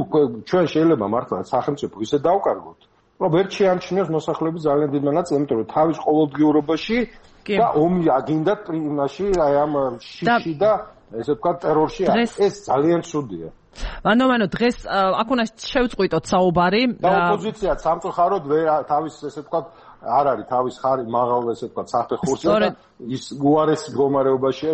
ჩვენ შეიძლება მართლა სახელმწიფო ისე დავკარგოთ, რომ ვერ შეამჩნიოს მოსახლეობის ძალიან დიდ მონაწილეს, იმიტომ რომ თავის ყოველდღიურობაში და ომი აგინდათ იმაში, აი ამ შიში და ესე ვთქვათ ტერორში ეს ძალიან ცუდია. ანუ დღეს აქ უნდა შევწყვიტოთ საუბარი და ოპოზიციაც სამწუხაროდ თავის ესე ვთქვათ არ არის თავის ხარი მაღალ ესე ვთქვათ საფეხურზე და ის უარეს მდგომარეობაში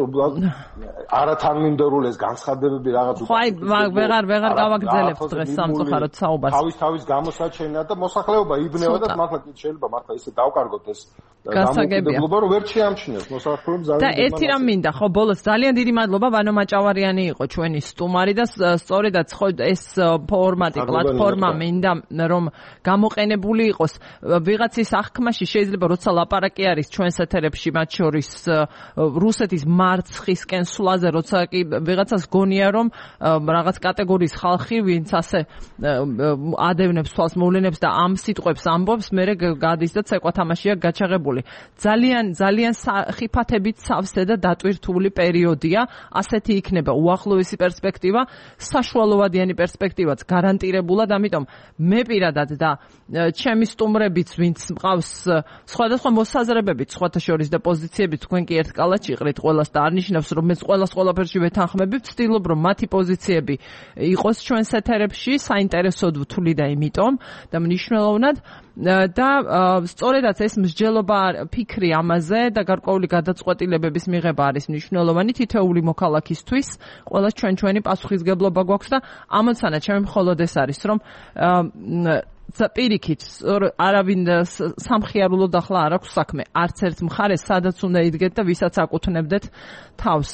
არათანმიმდევრულეს განცხადებები რაღაც ხო აი ვეღარ გავაგრძელებთ დღეს სამწუხაროდ საუბარს თავის გამოსაჩენად და მოსახლეობა იბნევა და მართლა შეიძლება მართლა ისე დავკარგოთ ეს გასაგებია რომ ვერ შეამჩნიოს მოსახლეობამ ძალიან და ერთი რამ მინდა ხო ბოლოს ძალიან დიდი მადლობა ვანო მაჭავარიანი იყო ჩვენი სტუმარი და სწორედაც ხო ეს ფორმატი პლატფორმა მინდა რომ გამოყენებული იყოს ვიღაცის აღქმაში შეიძლება როცა ლაპარაკი არის ჩვენს ეთერებში მათ შორის რუსეთის მარცხისკენ სვლაზე როცა კი ვიღაცას გონია რომ რაღაც კატეგორიის ხალხი ვინც ასე ადევნებს თვალს მოვლენებს და ამ სიტყვებს ამბობს მე გადის და ცეკვა თამაშია გაჩაღებული ძალიან ხიფათებით სავსე და დატვირთული პერიოდია ასეთი იქნება უახლოესი პერსპექტივა საშუალოვადიანი პერსპექტივაც გარანტირებულად ამიტომ მე პირადად და ჩემი სტუმრებიც ვინც მყავს სხვადასხვა მოსაზრებებით სხვათა შორის და პოზიციებით თქვენ კი ერთ კალათში იყრით ყველას და არნიშნავს რომ მე ყველაფერში ვეთანხმები ვცდილობ რომ მათი პოზიციები იყოს ჩვენს ეთერებში საინტერესოდ ვთვლი და იმიტომ და მნიშვნელოვნად და სწორედაც ეს მსჯელობა ფიქრი ამაზე და გარკვეული გადაწყვეტილებების მიღება არის მნიშვნელოვანი თითოეული მოქალაქისთვის ყველა ჩვენი პასუხისგებლობა გვაქვს და ამოცანა ჩემი მხოლოდ ეს არის რომ პირიქით არავინ სამხიარულოდ ახლა არ აქვს საქმე არც ერთ მხარეს სადაც უნდა იდგეთ და ვისაც აკუთვნებდეთ თავს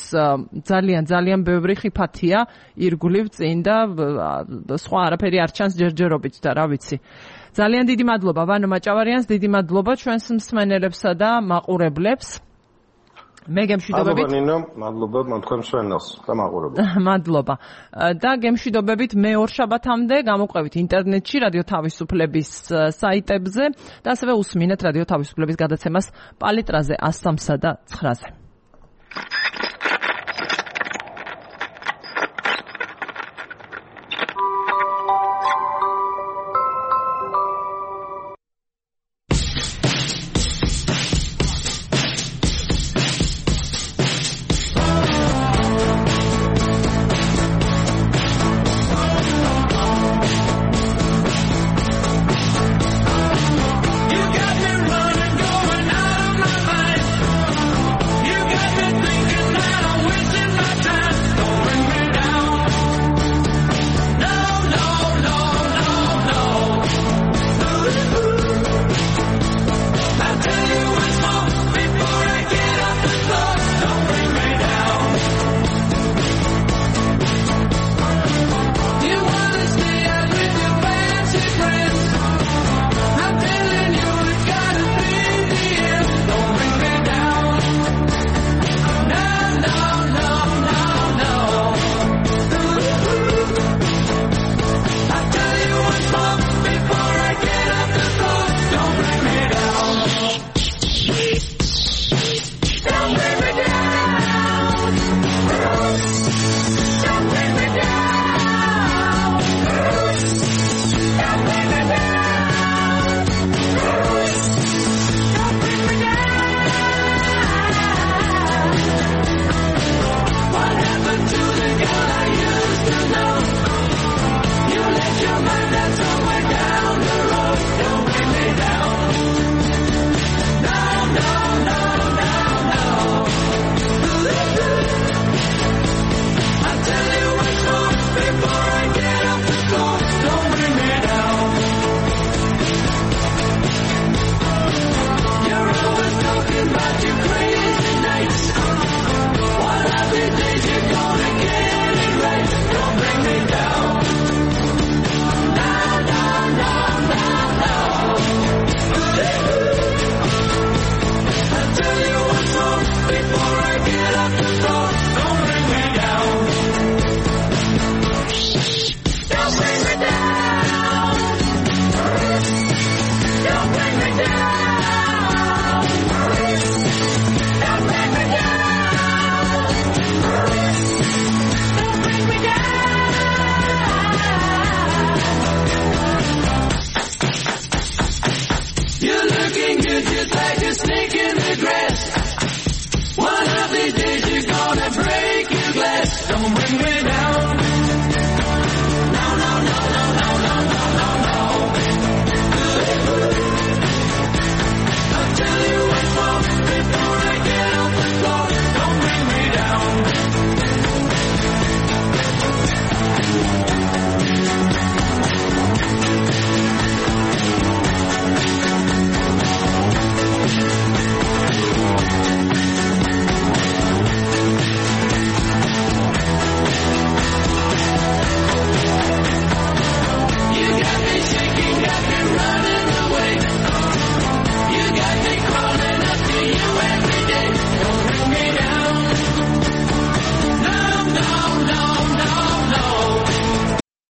ძალიან ბევრი ხიფათია ირგვლივ წინ და სხვა არაფერი არ ჩანს ჯერჯერობით და რა ვიცი ძალიან დიდი მადლობა ვანო მაჭავარიანს დიდი მადლობა ჩვენს მსმენელებსა და მაყურებლებს მე გემშვიდობებით მადლობა თქვენ მსმენელს და მაყურებლებს მადლობა და გემშვიდობებით მე ორშაბათამდე გამოყვებით ინტერნეტში რადიო თავისუფლების საიტებზე და ასევე usმინეთ რადიო თავისუფლების გადაცემას პალიტრაზე 103-ზე და 9-ზე